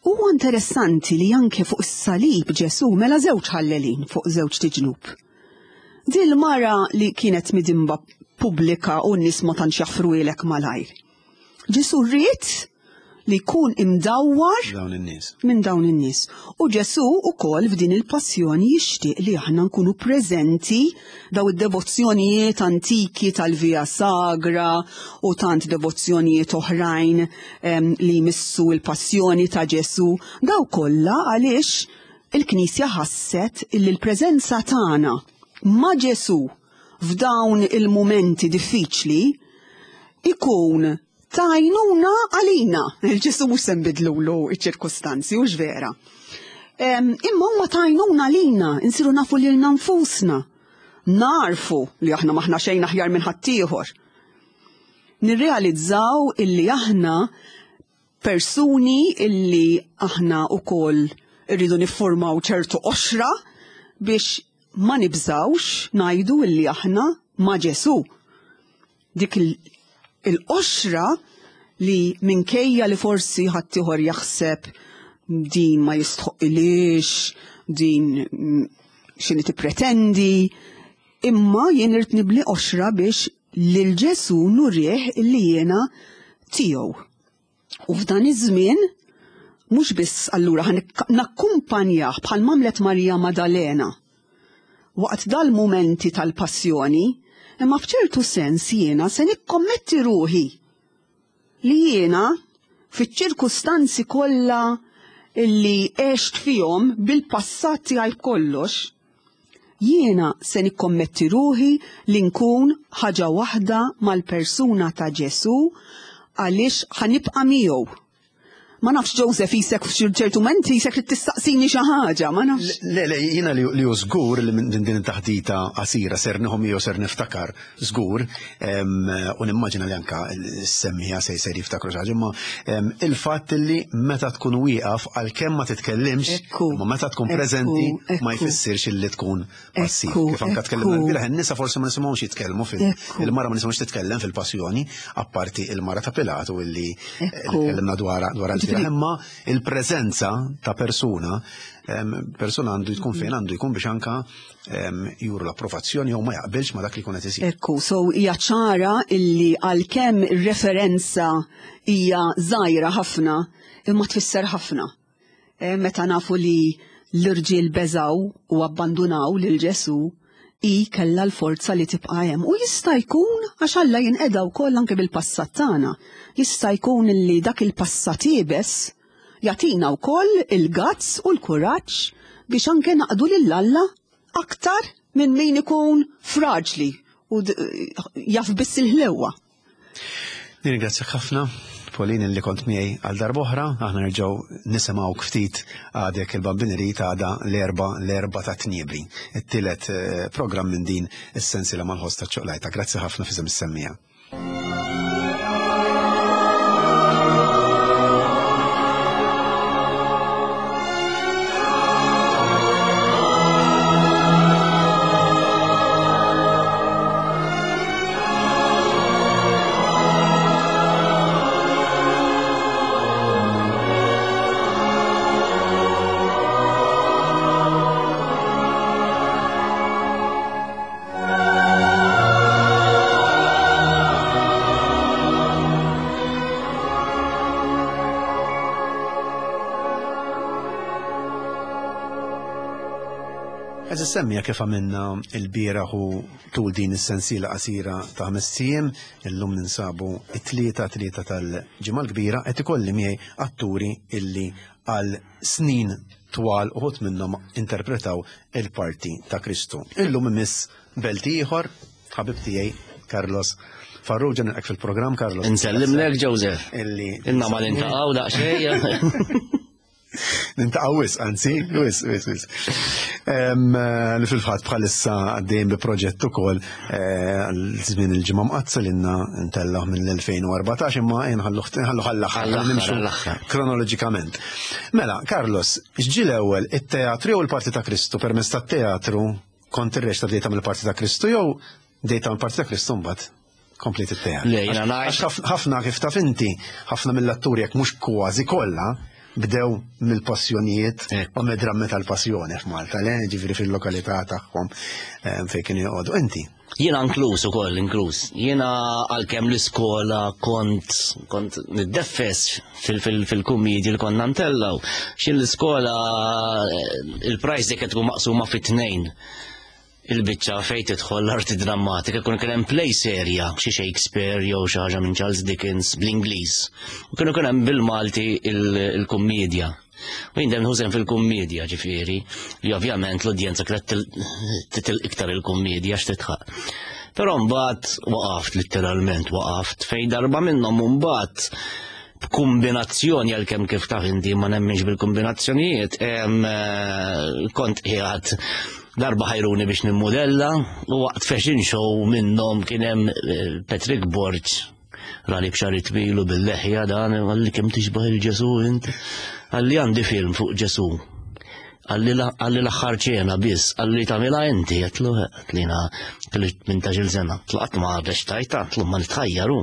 Huwa interessanti li anke fuq is-salib Ġesu mela żewġ ħallelin fuq żewġ tiġnub. Din il-mara li kienet midimba pubblika u n-nies ma tantx jaffruilek malajr. Ġesu rrid li jkun imdawwar dawn in-nies. Minn dawn in-nies. U Ġesu wkoll f'din il-passjoni jixtieq li aħna nkunu preżenti daw id-devozzjonijiet antiki tal-Via Sagra u tant devozzjonijiet oħrajn em, li jmissu l-passjoni ta' Ġesu, daw kollha għaliex il-Knisja ħasset illi l-preżenza tagħna ma' Ġesu f'dawn il-mumenti diffiċli ikun tajnuna għalina. Il-Ġesu mhux se nbidlulu iċ-ċirkustanzi, hux vera. Imma huma tajnuna għalina, insiru nafu lilna nfusna. Narfu li aħna maħna xejn aħjar minn ħaddieħor. Nirrealizzaw illi aħna persuni illi aħna wkoll irridu niffurmaw ċertu qoxra biex ma nibżawx ngħidu illi aħna ma' Ġesu. Dik il- il-qoxra li minkejja li forsi ħaddieħor jaħseb din ma jistħoqilix, din x'inhi tippretendi, imma jien irid nibli qoxra biex lil Ġesu nurih illi jiena tiegħu. U f'dan iż-żmien mhux biss allura ħa nakkumpanjah bħal mamlet Marija Madalena waqt dal-mumenti tal-passjoni, imma f'ċertu sens jiena se nikkommetti ruħi li jiena fiċ-ċirkustanzi kollha illi għext fihom bil-passat tiegħi kollox, jiena se nikkommetti ruħi li nkun ħaġa waħda mal-persuna ta' Ġesu għaliex ħanibqa' miegħu. Ma nafx Joseph jisek f'ċertu menti jisek li tistaqsini xi ħaġa, ma nafx. Le, le, jiena li hu żgur li minn din it-taħdita qasira ser nieħu miegħu ser niftakar żgur, u nimmaġina li anka s-semmija se jsir jiftakru xi ħaġa, imma il-fatt li meta tkun wieqaf għalkemm ma titkellimx, imma meta tkun preżenti ma jfissirx illi tkun passiv. Kif anka tkellimna l-bieraħ, in-nisa forsi ma nisimgħux jitkellmu fil il-mara ma nisimgħux titkellem fil-passjoni, apparti il-mara ta' Pilatu illi tkellimna dwar dwar imma il-preżenza ta' persuna, persuna għandu jkun fejn għandu jkun biex anka juru l-approvazzjoni jew ma jaqbilx ma dak li jkun qed isir. Ekku, so hija ċara illi għalkemm ir-referenza hija żgħira ħafna, imma tfisser ħafna. Meta nafu li l-irġiel beżaw u abbandunaw lil Ġesu, i kella l-forza li tibqa' hemm. U jista' jkun għax Alla jinqeda wkoll anke bil-passat tagħna. Jista' jkun li dak il-passat iebes jagħtina wkoll il-gazz u l-kuraġġ biex anke naqdu lil Alla aktar minn min ikun fraġli u jaf biss il-ħlewwa. Nirringrazzjak ħafna, Pauline, li kont miegħi għal darb'oħra. Aħna nerġgħu nisimgħu ftit għadek il-Bambineri ta' għada l-erba l-erba ta' Tniebri, it-tielet programm minn din is-sensiela mal-ħoss taċ-ċoqlajta. Grazzi ħafna f'isem is-semmija. Għeżież semmiegħa, kif għamilna il-bieraħ u tul din is-sensiela qasira ta' ħamest ijiem, illum ninsabu it-tlieta, tlieta tal-Ġimgħa l-Kbira, qed ikolli miegħi atturi illi għal snin twal uħud minnhom interpretaw il-parti ta' Kristu. Illum imiss belti ieħor, ħabib tiegħi Carlos Farrugia. Nilqgħek fil-programm, Carlos. Insellimlek, Joseph. Illi Inna ma niltaqgħu daqsxejn. Niltaqgħu wisq, anzi, wisq, wisq, wisq. Li fil-fatt bħalissa għaddejn bi proġett ukoll għal żmien il-Ġimgħa Mqaddsa li ntellgħu mill-elfejn u erbatax, imma nħallu għall-aħħar, nimxu kronoloġikament. Mela, Carlos, x'ġie l-ewwel, it-teatru jew il-parti ta' Kristu? Permezz tat-teatru kont irreċta bdejt tagħmel il-parti ta' Kristu jew bdejt tagħmel parti ta' Kristu, mbagħad komplet it-teatru? Le, jiena ngħid- Ħafna, kif taf inti, ħafna mill-atturi, jekk mhux kważi kollha, bdew mill-passjonijiet u mid-drammi tal-passjoni f'Malta, le, ġifieri fil-lokalità tagħhom fejn kienu joqogħdu. Inti? Jiena inkluż ukoll, inkluż. Jiena għalkemm l-iskola kont kont niddeffes fil-kummedji li konna ntellgħu. Xin l-iskola il-prize dik tkun maqsuma fit-tnejn. Il-biċċa fejn tidħol l-arti drammatika kun kien hemm play serja, xi Shakespeare jew xi ħaġa minn Charles Dickens bl-Ingliż. U kienu kien hemm bil-Malti il-kummedja. U jien dejjem nħużen fil-kummedja, ġifieri, li ovvjament l-udjenza kienet titil iktar il-kummedja x'titħaq. Però mbagħad waqaft, literalment waqaft, fejn darba minnhom mbagħad b'kombinazzjoni, għalkemm kif taf inti ma nemminx bil-kombinazzjonijiet, kont qiegħed darba ħajruni biex nimmodella u waqt fashion show minnhom kien hemm Patrick Borg rani b'xagħri twil u bil-leħja dan, qalli, "Kemm tixbaħ il-Ġesu int." Qalli, "Għandi film fuq Ġesu." Qalli, "L-Aħħar Ċena biss," qalli, "tagħmilha inti?" Għedtlu tlina kelli tmintax-il sena. Tlaqt ma reċtajta, għedtlu ma nitħajjaru.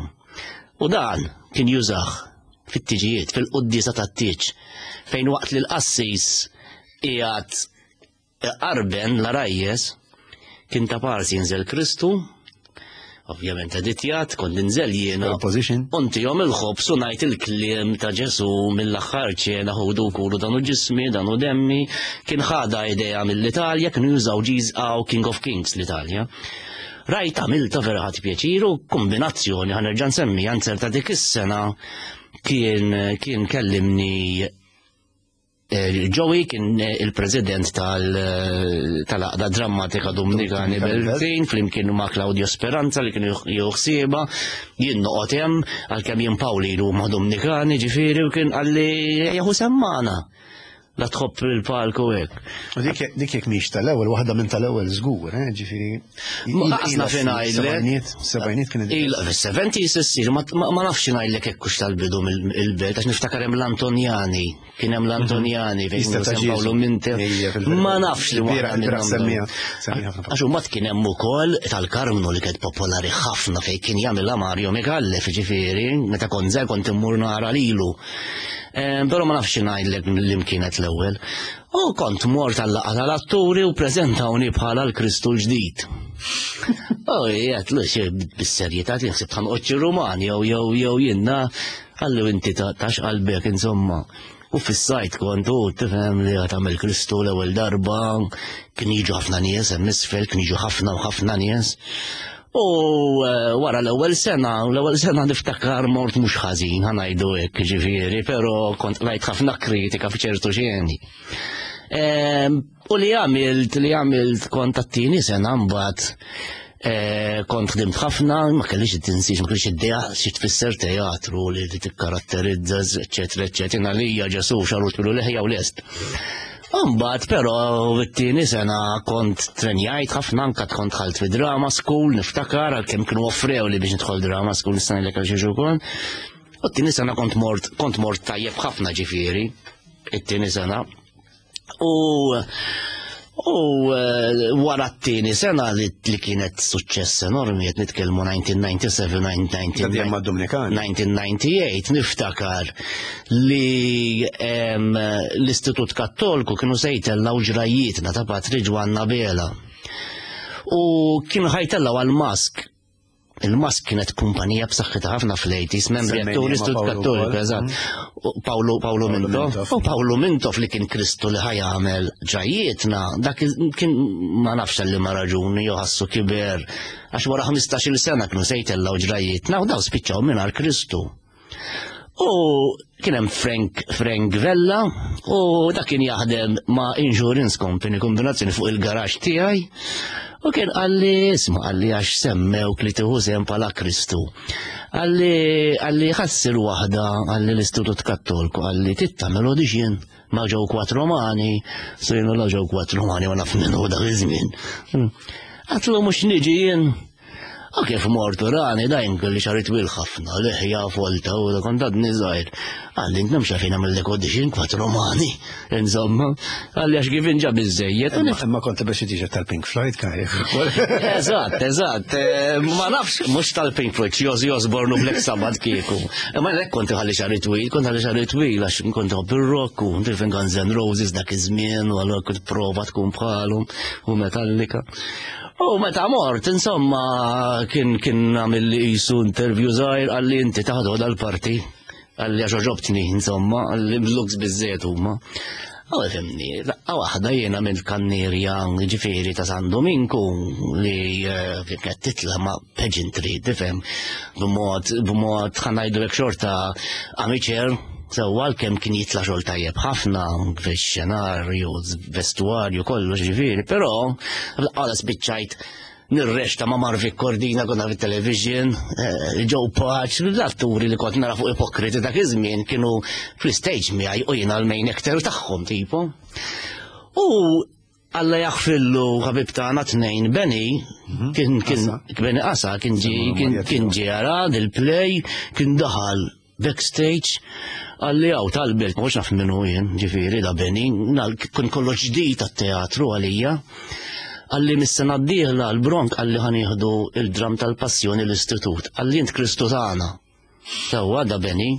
U dan kien jużah fit-tiġijiet, fil-quddiesa tat-tieġ, fejn waqt li l-qassis qiegħed qarben l-għarajjes, kien ta' parsi jinżel Kristu, ovvjament editjat, kont ninżel jiena. Position. Untihom il-ħobż u ngħid il-kliem ta' Ġesu mill-Aħħar Ċena, "Ħudu kulu, dan hu ġismi, dan hu demmi." Kien ħada idea mill-Italja, kienu jużaw Jesus King of Kings l-Italja. Rajt għamilta, vera ħadt pjaċir u kombinazzjoni, ħa nerġa' nsemmi, ta' dik is-sena kien kien kellimni eh, Joey, kien il-president tal-Għaqda Drammatika Dominikani Beltin, flimkien ma' Claudio Speranza li kienu juħsiba, jien noqgħod hemm, għalkemm jien Pawli ma' Dominikani, ġifieri, u kien qalli jaħu semmana. La tħobb il-palku hekk. U dik dik jekk mhix tal-ewwel, waħda minn tal-ewwel żgur, eh, ġifieri. Ma qasna fejn ngħidlek. Sebgħinijiet kien. Il fis-seventies issir, ma ma nafx ngħidlek hekk hux tal-bidu mill-belt, għax niftakar hemm l-Antonjani, kien hemm l-Antonjani fejn Jista' ta' San Paolo Ġesu. Minte. Ejja, fil-verità. Ma nafx li Il-bieraħ- waħda il-bieraħ minnhom. semmija semmija ħafna. Għax mbagħad kien hemm ukoll tal-Karmnu li kienet popolari ħafna fejn kien jagħmilha Mario Micallef, ġifieri, meta kont żgħir kont immur nara lilu. Eh, Però ma nafx ngħidlek li kienet l-ewwel. U kont mort għal-laqgħa tal-atturi u preżentawni bħala l-Kristu l-ġdid. U jgħet, l bis-serjetà tinħsib ħanqoċ Rumani jew jew jew jiena, qalli, "Inti tax qalbek," insomma. U fis-sajt kont u tifhem li għad tagħmel Kristu l-ewwel darba, kien jiġu ħafna nies hemm isfel, kien jiġu ħafna u ħafna nies. U eh, wara l-ewwel sena, l-ewwel sena niftakar mort mhux ħażin, ħa ngħidu hekk, ġifieri, però kont rajt ħafna kritika f'ċertu xeni. Em, U li għamilt, li għamilt kont għat-tieni sena mbagħad eh, kont ħdimt ħafna, ma kellix tinsiex, ma kellix idea xi tfisser teatru li li tikkaratterizza, eċetera, eċetera. Jiena lija Ġesu xagħru twil u leħja u lest. Mbagħad però it-tieni sena kont trenjajt ħafna, anka kont dħalt fi drama school, niftakar għalkemm kienu offrew li biex nidħol drama school, nista' ngħidlek għal xiex ukoll. U t-tieni sena kont mort kont mort tajjeb ħafna, ġifieri, it-tieni sena. U u eh, wara t-tieni sena li, li kienet suċċess enormi, qed nitkellmu elf disa' mija u sebgħa u disgħin, Ta' dejjem mad-Dominikani. elf disa' mija u disgħa u disgħin, niftakar li em, l-Istitut Kattolku kienu se jtellgħu Ġrajjietna ta' Patri Ġwann Abela. U kienu ħa jtellgħu għal mask. Il-Mask kienet kumpanija b'saħħitha ħafna fl-eighties, membri Semmejni atturi ma' Istitut Paolo Kattoliku, wkoll. eżatt. U Paolo Paolo Paolo Mintoff. Mintoff. U Paolo Mintoff li kien Kristu li ħa jagħmel ġajjietna, dak kien ma nafx li ma raġuni jew ħassu kiber, għax wara ħmistax-il sena kienu se jtellgħu ġrajjietna u daw spiċċaw mingħajr Kristu. U kien hemm Frank, Frank Vella, u dak kien jaħdem ma' insurance company kombinazzjoni fuq il-garax tiegħi. U kien qalli, isma', qalli għax semmewk li tieħu sehem bħala Kristu. Qalli, qalli ħassir waħda, qalli l-Istitut Kattolku, qalli tittamel audition ma' Joe Quattromani, so jiena la Joe Quattromani ma naf minnu dak iż-żmien. Għatlu mhux niġi jien. U kif mortu rani dajn kelli xagħri twil ħafna, liħja folta u da kont għadni żgħir. Qalli int nemx għalfejn għamillek audition Quattromani. Insomma, qalli għax kif inġa biżejjed. Imma imma kont biex t-shirt tal-Pink Floyd kaj. Eżatt, eżatt. Eh, Ma nafx, mhux tal-Pink Floyd, xi Ozzy Osbourne u Black Sabbath kieku. Ma lek kont ħalli xagħri twil, kont ħalli xagħri twil għax kont nħobb ir-rock u tifhem Guns N' Roses dak iż-żmien u allura kont prova tkun bħalhom u Metallica. U meta mort, insomma, kien kien għamil li qisu interview żgħir, qalli inti taħdu dal-parti. Qalli għax għoġobtni, insomma, qalli looks biżżejjed huma. U fimni, daqqa waħda jiena minn kannierja ġifieri ta' San Dominku li eh, kienet titla ma' pageantry, tifhem, b'mod b'mod ħa ngħidu hekk xorta amateur, sewwa kemm kien jitla xogħol tajjeb ħafna fix-xenarju, vestuarju, kollox ġifieri, però għala spiċċajt nirreċta ma' Marvic Cordina konna fit-television, eh, Joe Pace, l-atturi li kont nara fuq Ipokriti dak iż-żmien kienu fl-stage miegħi u jiena l-main actor tagħhom tipo. U Alla jaħfillu ħabib tagħna tnejn Benny, kien kien Benny Qasa kien ġi kien kien ġi jara il-play, kien daħal backstage, qalli hawn tal-belt, ma naf minnu jien, ġifieri da Benny, kien kollox ġdid tat-teatru għalija. Qalli mis-sena d-dieħla l-Bronk qalli ħa nieħdu il-dram tal-passjoni l-istitut. Qalli int Kristu tagħna. Sewwa da Benny.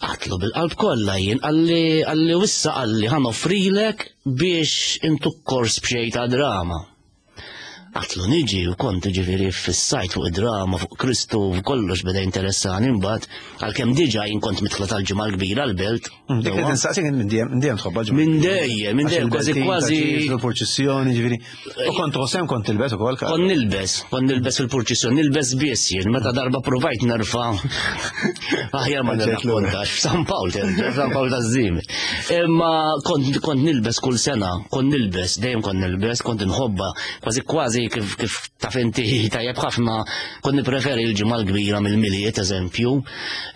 Għatlu bil-qalb kollha jien, qalli qalli wissa qalli ħa noffrilek biex intuk kors b'xejn ta' drama. Għatlu niġi u kont ġifieri fis-sajt fuq id-drama, fuq Kristu, kollox beda interessani mbagħad għalkemm diġà jien kont mitla tal-ġimgħa l-kbira l-belt. Dik li tinsaqsik minn dejjem minn dejjem tħobbha ġimgħa. Minn dejjem, minn dejjem kważi kważi. Il-purċissjoni ġifieri. U kont tħossem kont tilbes ukoll. Kont nilbes, kont nilbes fil-purċissjoni, nilbes biss jien, meta darba provajt nerfa'. Aħjar ma nirrakkontax, f'San Pawl, San Pawl taż-Żiemi. Imma kont kont nilbes kull sena, kont nilbes, dejjem kont nilbes, kont inħobba, kważi kważi kif kif taf inti tajjeb ħafna, kont nippreferi l-ġimgħa l-kbira mill-Milied eżempju,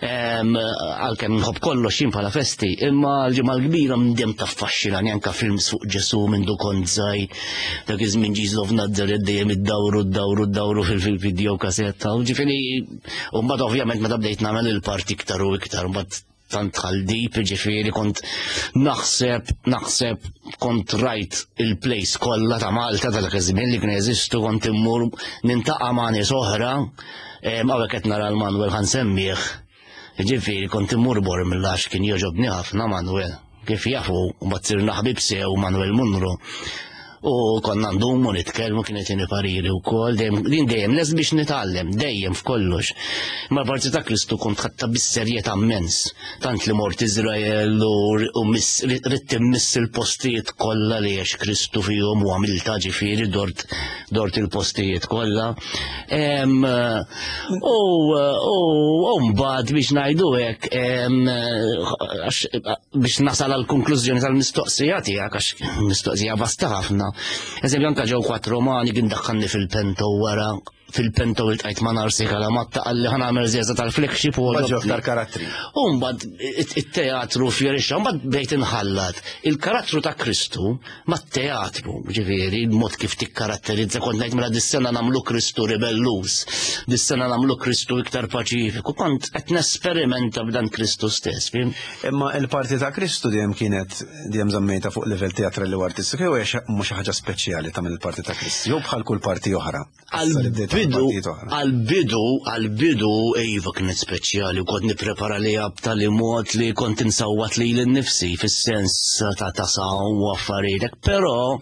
għalkemm nħobb kollox jien bħala festi, imma l-ġimgħa l-kbira mdem taffaxxinani anke films fuq Ġesu minn du kont żgħir, dak iż-żmien Jesus of Nazareth dejjem iddawru ddawru ddawru fil-video kasetta, u ġifieri u mbagħad ovvjament meta bdejt nagħmel il-parti iktar u iktar, mbagħad tant tħaldib, ġifieri kont naħseb, naħseb kont rajt il-plays kollha ta' Malta ta' dak iż-żmien li kien jeżistu, kont immur nintaqa' ma' nies oħra, hawnhekk qed nara l-Manuel ħa nsemmih. Ġifieri kont immur bor mill-għax kien jogħġobni ħafna Manuel. Kif jafu, mbagħad sirna ħbib sew Manuel Munro. U konna ndumu nitkellmu kien jtini pariri wkoll, dejjem din dejjem les biex nitgħallem, dejjem f'kollox. Ma parti ta' Kristu kont ħadta bis-serjetà immens. Tant li mort Iżrael u ridt immiss il-postijiet kollha li għex Kristu fihom u għamilta ġifieri dort dort il-postijiet kollha. U mbagħad biex ngħidu hekk biex nasal għal konklużjoni tal-mistoqsija tiegħek għax mistoqsija vasta ħafna. Eżempju anka Joe Quattromani kien daħħalni fil-pento wara fil-pento iltqajt ma' Narsi Kalamatta qalli ħa nagħmel żjeża tal-flagship u Baġġu aktar karattri. U mbagħad it-teatru fjorixxa, mbagħad bdejt inħallat il-karattru ta' Kristu mat-teatru, ġifieri, il-mod kif tikkaratterizza kont ngħid mela dis-sena nagħmlu Kristu ribellus, dis-sena nagħmlu Kristu iktar paċifiku, kont qed nesperimenta b'dan Kristu stess, fim? Imma il-parti ta' Kristu dejjem kienet dejjem żammejta fuq livell teatrali u artistiku jew hija mhux xi ħaġa speċjali tagħmel il-parti ta' Kristu, jew bħal kull parti oħra. Għal-bidu, għal-bidu, għal-bidu, iva kienet speċjali u kont nipprepara li b'tali mod li kont insawwat li l-nifsi fis-sens ta' ta' saw u affarijiet, però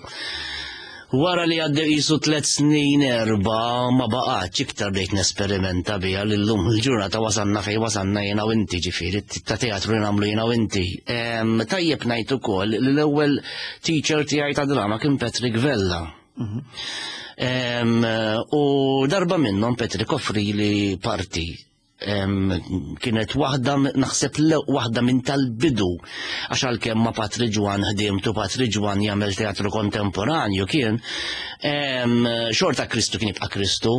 Wara li għaddew qisu tliet snin erba' ma baqgħetx iktar bdejt nesperimenta biha li llum il-ġurnata wasalna fejn wasalna jiena u inti, ġifieri ta' teatru li nagħmlu jiena u inti. Em, Tajjeb ngħid ukoll li l-ewwel teacher tiegħi ta' drama kien Patrick Vella. Em, U darba minnhom Patrick offri li parti. Em, kienet waħda naħseb le- waħda minn tal-bidu, għax għalkemm ma' Patri Ġwann ħdimtu, Patri Ġwann jagħmel teatru kontemporanju kien, em, xorta Kristu kien jibqa' Kristu.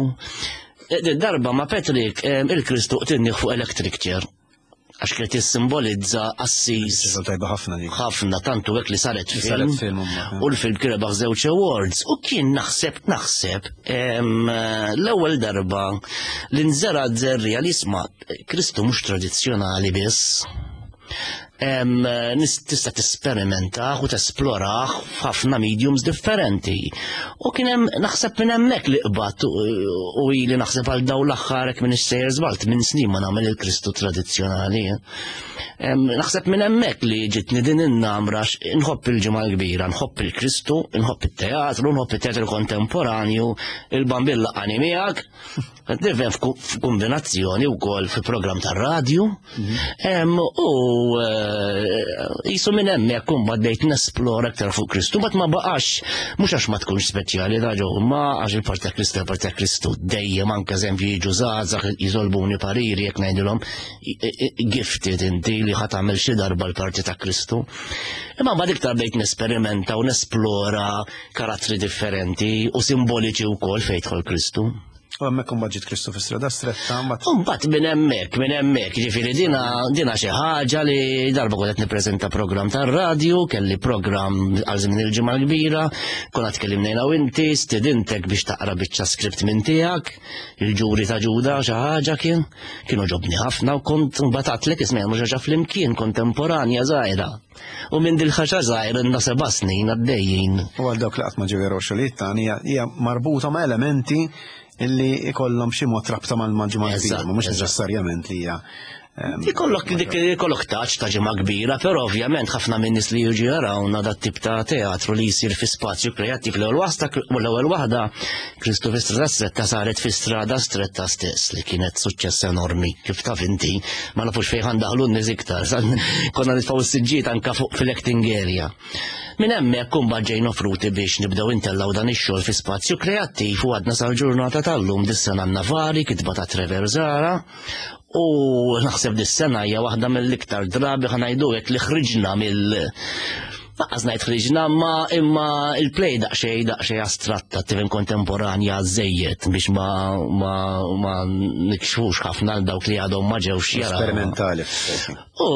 E, Darba ma' Patrick em, il-Kristu qtilnih fuq electric chair għax kienet jissimbolizza qassis. Xogħol tajba ħafna dik. Ħafna, tantu hekk li saret Li saret film. Film, mbagħad. U l-film kien rebaħ żewġ awards u kien naħseb naħseb em, l-ewwel darba li nżera żerriegħa li isma', Kristu mhux tradizzjonali biss. Em, nis- tista' tesperimentaħ u tesploraħ f'ħafna mediums differenti. U kien hemm naħseb minn hemmhekk li qbad u u ili naħseb għal daw l-aħħar, hekk minn sejjer żbalt minn snin ma nagħmel il-Kristu tradizzjonali. Em, Naħseb minn hemmhekk li ġitni din in-namra x- nħobb il-Ġimgħa l-Kbira, nħobb il-Kristu, nħobb it-teatru, nħobb it-teatru kontemporanju, il-Bambin laqani miegħek. Nifhem f'kombinazzjoni wkoll fi programm tar-radju. Em, U eh, jisu minn hemmhekk imbagħad bdejt nesplora aktar fuq Kristu, mbagħad ma baqax, mhux għax ma tkunx speċjali da ġew, ma għax il-parti ta' Kristu, il-parti ta' Kristu dejjem, anke eżempju jiġu żgħażagħ jitolbuni pariri, jekk ngħidilhom i- i- gifted inti li ħa tagħmel xi darba l-parti ta' Kristu. Imma mbagħad iktar bdejt nesperimenta u nesplora karattri differenti u simboliċi wkoll fejn jidħol Kristu. U hemmhekk imbagħad ġiet Kristu fi Strada Stretta, mbagħad Mbagħad minn hemmhekk, minn hemmhekk, ġifieri dina dina xi ħaġa li darba kont qed nippreżenta programm tar-radju, kelli programm għal żmien il-Ġimgħa l-Kbira, konna tkellimna jiena u inti, stidintek biex taqra biċċa script minn tiegħek, il-ġuri ta' Ġuda xi ħaġa kien, kienu ġobni ħafna u kont mbagħad għedtlek isma' mhux ħaġa flimkien kontemporanja żgħira. U minn dil-ħaġa żgħira ilna seba' snin għaddejjin. U għal dawk li qatt ma ġew jaraw xogħlijiet tagħna, hija hija marbuta ma' elementi illi ikollhom xi mod rabta mal-Ġimgħa l-Kbira, Eżatt, ma mhux eżatt. neċessarjament li hija em, Ikollok dik ikollok touch ta' Ġimgħa Kbira, però ovvjament ħafna minn nies li jiġu jarawna dat tip ta' teatru li jsir fi spazju kreattiv, l-ewwel wasta u l-ewwel waħda Kristu fi Strada Stretta saret fi Strada Stretta stess, li kienet suċċess enormi, kif taf inti, ma nafux fejn ħandaħlu n-nies iktar. Konna nitfgħu s-siġġiet anka fuq fil-acting area. Minn hemmhekk imbagħad ġejna offruti biex nibdew intellgħu dan ix-xogħol fi spazju kreattiv u għadna sal-ġurnata tal-lum. Dis-sena għandna vari kitba ta' Trevor Zara u naħseb dis-sena hija waħda mill-iktar drabi, ħa ngħidu hekk, li ħriġna mill Lanqas ngħid ħriġna, ma imma il-play daqsxejn daqsxejn astratta, tifhem, kontemporanja żejjed biex ma ma ma nikxfux ħafna għal dawk li għadhom ma ġewx jaraw. Sperimentali. U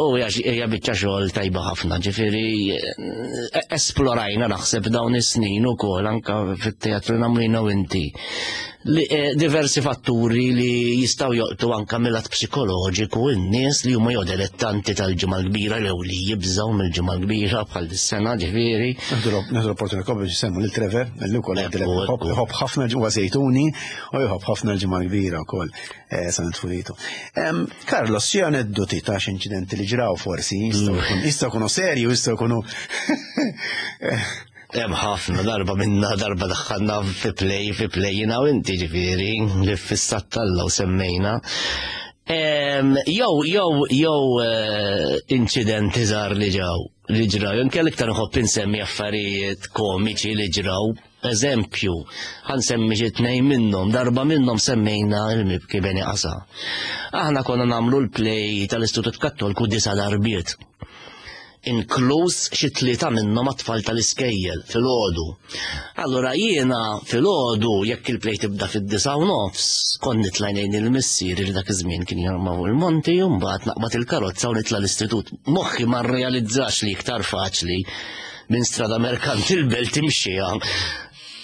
u hija hija biċċa xogħol tajba ħafna, ġifieri eh, esplorajna naħseb dawn is-snin ukoll anke fit-teatru nagħmlu jiena u inti. Li, eh, diversi fatturi li jistgħu joqtu anke mill-lat psikoloġiku n-nies li huma jew dilettanti tal-Ġimgħa l-Kbira jew li jibżgħu mill-Ġimgħa l-Kbira bħal dis-sena, ġifieri. Nieħdu l-opportunità biex nsemmu lil Trevor, li wkoll Ekku, ekku. jħobb ħafna ġewwa Żejtuni u jħobb ħafna l-Ġimgħa l-Kbira wkoll eh, sa nitfulitu. Em, Carlos, xi aneddoti ta' xi inċidenti li ġraw forsi jistgħu jkunu jistgħu jkunu serji u jistgħu jkunu Hemm ħafna. Darba minna darba daħħalna fi play, fi play jiena u inti, ġifieri, li fissat talla u semmejna. Em, Jew, jew, jew eh, inċidenti żgħar li ġew, li ġraw. Jien kelli iktar nħobb insemmi affarijiet komiċi li ġraw. Eżempju, ħa nsemmi xi tnejn minnhom, darba minnhom semmejna il-mibki Beni Qasa. Aħna konna nagħmlu l-play tal-Istitut Kattolku disa' darbiet, inkluż xi tlieta minnhom għat-tfal tal-iskejjel filgħodu. Allura jiena filgħodu, jekk il-play tibda fid-disgħa u nofs, kont nitla' ngħin il-missier li dak iż-żmien kien jarma fuq il-monti u mbagħad naqbad il-karozza u nitla' l-istitut. Moħħi ma rrealizzax li iktar faċli minn Strada Merkanti l-Belt timxija.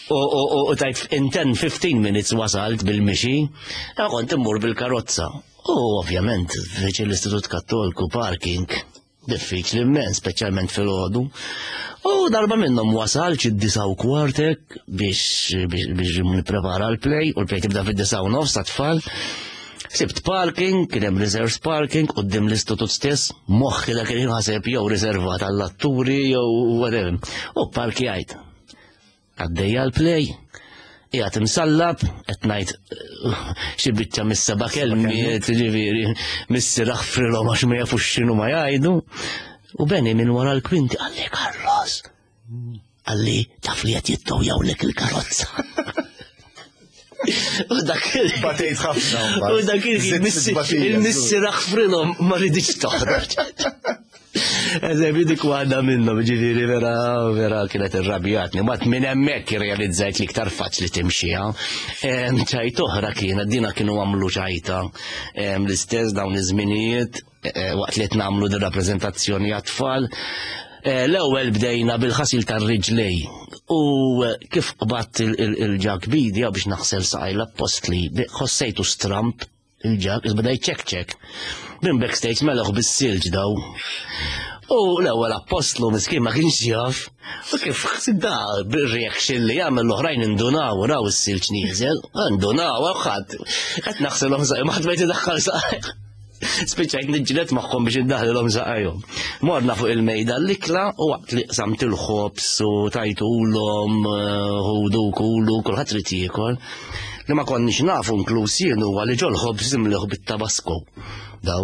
U, u, u, u tajt in ten fifteen minutes wasalt bil-mixi, ja kont immur bil-karozza. U ovvjament, viċin l-Istitut Kattolku parking, diffiċli immens, speċjalment fil-ħodu. U darba minnhom wasal xi disgħa u kwartek biex biex biex nipprepara l-play, u l-play tibda fid-disgħa u nofs ta' tfal. Sibt parking, kien hemm reserved parking quddiem l-istitut stess, moħħi dak il ħaseb jew riservat għall-atturi jew whatever. U parkjajt. Għaddejja l-play, qiegħed imsallab, qed ngħid xi biċċa mis-seba' kelmiet, ġifieri, missier aħfrilhom għax ma jafux x'inhu ma jgħidu. U Beni minn wara l-kwinti qalli Carlos, qalli taf li qed jittowjawlek il-karozza. U dak il- Batejt ħafna. U dak il-missier aħfrilhom ma riditx toħroġ. Eżempju dik waħda minnhom, ġifieri vera vera kienet irrabjatni. Mat minn hemmhekk irrealizzajt li iktar faċli timxiha. Ċajt oħra kienet dina kienu għamlu ċajta l-istess dawn iż-żminijiet waqt li qed nagħmlu din rappreżentazzjoni għat-tfal. L-ewwel bdejna bil-ħasil tar-riġlej u kif qbadt il-ġag bidi biex naħsel saqaj l-appostli ħossejtu stramp il-ġag, beda jċekċek. Minn backstage melaħ bis-silġ daw. U l-ewwel appostlu miskin ma kienx jaf. U kif da bir-reaction li jagħmel l-oħrajn indunaw raw is-silġ nieżel, indunaw ħadd. Qed naħselhom saqaj, ma ħadd ma jtidaħħal saqaj. Spiċċajt niġġieled magħhom biex indaħlilhom saqajhom. Morna fuq il-mejda l-ikla u waqt li qsamt il-ħobż u tajtulhom ħudu kulu kulħadd trid jiekol. Li ma konniex nafu inkluż jien huwa li ġol-ħobż imliħ bit-tabasko. Daw.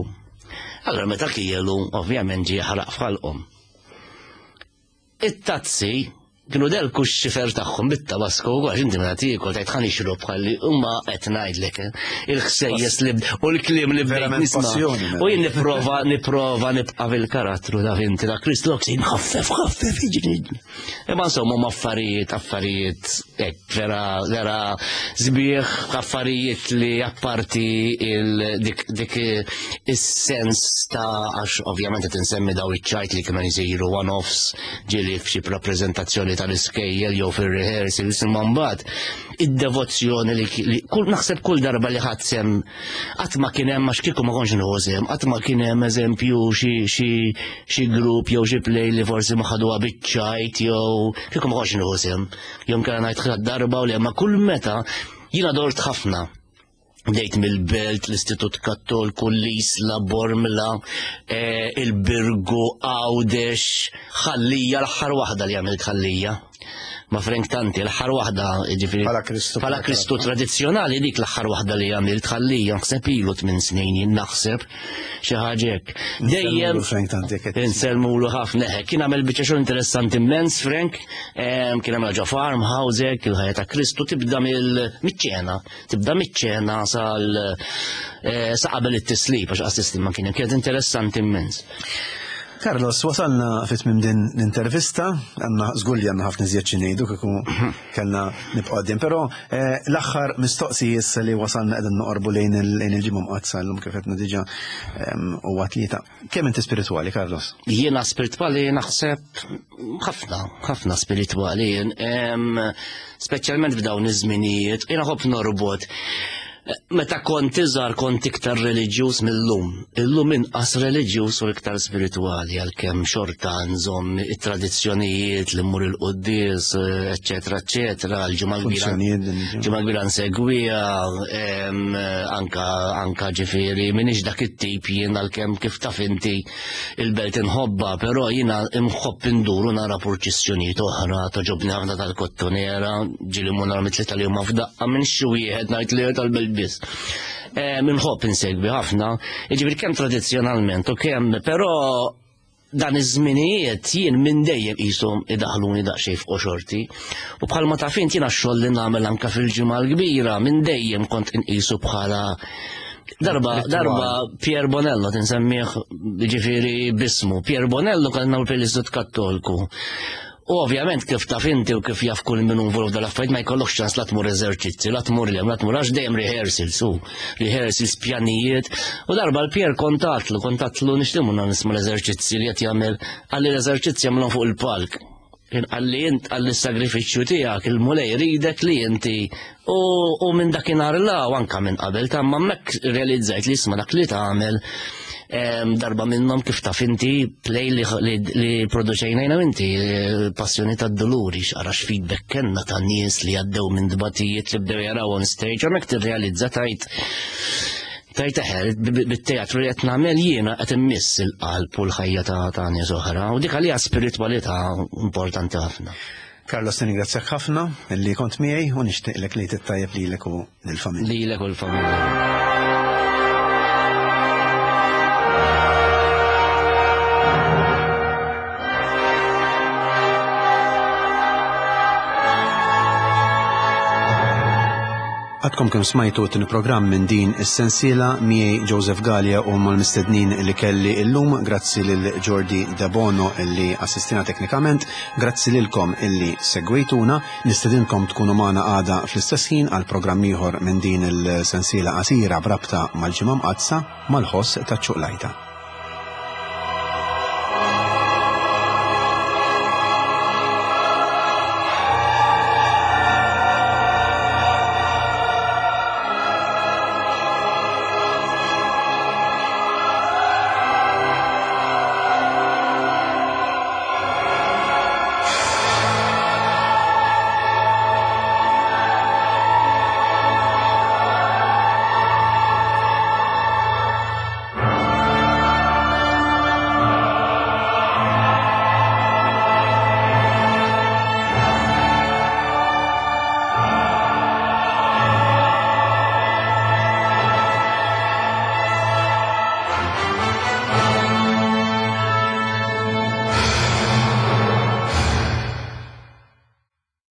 Allora meta kielu ovvjament ġie ħaraq f'ħalqhom. It-tazzi kienu delku x-xifer tagħhom bit-tabasko u għax inti meta tiekol tgħid ħa nixrob ħalli huma qed ngħidlek il-ħsejjes li u l-kliem li bdejt nisma'. U jien nipprova nipprova nibqa' fil-karattru ta' inti ta' Kristu ħaffef ħaffef jiġri. Imma insomma huma affarijiet affarijiet hekk vera vera sbieħ affarijiet li apparti dik dik is-sens ta' għax ovvjament qed insemmi daw iċ-ċajt li kienu jsiru one-offs ġieli f'xi rappreżentazzjoni tal-iskejjel jew fir-rehearsals imma mbagħad id-devozzjoni li kull naħseb kull darba li ħadd sem qatt ma kien hemm għax kieku ma kontx nieħu sehem, qatt ma kien hemm eżempju xi xi xi grupp jew xi play li forsi ma ħaduha biċ-ċajt jew kieku ma kontx nieħu sehem. Jew kellha ngħid darba u le ma kull meta jiena dort ħafna. Bdejt mill-Belt, l-Istitut Kattolku, l-Isla, Bormla, il-Birgu, Għawdex, Ħallija, l-aħħar waħda li għamilt Ħallija. Ma' Frank Tanti, l-aħħar waħda, ġifieri. Bħala Kristu. Bħala Kristu tradizzjonali dik l-aħħar waħda li għamilt Ħallija, naħseb ilu tmien snin jien naħseb xi ħaġa hekk. Dejjem Frank Tanti qed. Insellmulu ħafna hekk. Kien għamel biċċa xogħol interessanti immens Frank, kien għamel ġo farmhouse hekk, il-ħajja ta' Kristu tibda mill-ċena, tibda miċ-ċena sal sa qabel it-tislib għax qas tislim ma kien kienet interessanti immens. Carlos, wasalna fit tmiem din l-intervista, għandna żgur li għandna ħafna iżjed xi ngħidu kieku kellna nibqgħu għaddejjin, però l-aħħar mistoqsija issa li wasalna qegħdin noqorbu lejn il-ġimgħa mqaddsa llum kif qedna diġà huwa tlieta. Kemm inti spiritwali, Carlos? Jiena spiritwali naħseb ħafna, ħafna spiritwali, speċjalment f'dawn iż-żminijiet, jiena ħobb norbot. Meta kont iżgħar kont iktar reliġjuż mill-lum. Illum inqas reliġjuż u iktar spiritwali għalkemm xorta nżomm it-tradizzjonijiet li mmur il-quddies, eċetera, eċetera, l-ġimgħa l-kbira. Ġimgħa kbira nsegwiha, anka anka ġifieri m'iniex dak it-tip jien għalkemm kif taf inti il-belt inħobba, però jiena imħobb induru nara purċissjonijiet oħra, toġobni ħafna tal-Kottonera, ġieli mmur nara mit-tlieta li huma f'daqqa minn xi wieħed ngħid li tal-belt biss. Minħobb insegwi ħafna, jiġifieri kemm tradizzjonalment u kemm, però dan iż-żminijiet jien minn dejjem qishom idaħluni daqsxejn f'qoxorti. U bħalma taf int jiena x-xogħol li nagħmel anke fil-ġimgħa l-kbira minn dejjem kont inqisu bħala darba darba Pier Bonello tinsemmih ġifieri bismu. Pier Bonello kien nagħmel fil-Istitut Kattolku. U ovvjament kif taf inti u kif jaf kull min involut dal-affarijiet ma jkollokx ċans la tmur eżerċizzi, la tmur lem, la tmur għax dejjem rehearsals u rehearsals pjanijiet. U darba l-Pier kontatlu, kontatlu nixtiemu nisma' l-eżerċizzi li qed jagħmel, qalli l-eżerċizzi jagħmlhom fuq il-palk. Kien qalli int qalli s-sagrifiċċju tiegħek il-Mulej jridek li inti u minn dakinhar la u anka minn qabel ta' ma hemmhekk realizzajt li isma' dak li tagħmel darba minnhom kif taf inti play li, li, li produċejna jiena inti Passjoni tad-Duluri, x'ara x'feedback kellna ta' nies li għaddew minn dbatijiet li bdew jaraw on stage, hemmhekk tirrealizza tajt tajt eħer bit-teatru li qed nagħmel jiena qed immiss il-qalb u l-ħajja ta' ta' nies oħra u dik għalija spiritwalità importanti ħafna. Carlos, nirringrazzjak ħafna li kont miegħi u nixtieqlek li tittajjeb lilek u lill-familja. Lilek u l-familja. Għadkom kemm smajtu t programm minn din is-sensiela miegħi Joseph Galea u mal-mistednin li kelli illum, grazzi lil Jordi Debono illi assistina teknikament, grazzi lilkom illi segwejtuna, nistedinkom tkunu magħna għada fl-istess ħin għal programm ieħor minn din il-sensiela qasira b'rabta mal-Ġimgħa Mqaddsa mal-ħoss taċ-ċuqlajta.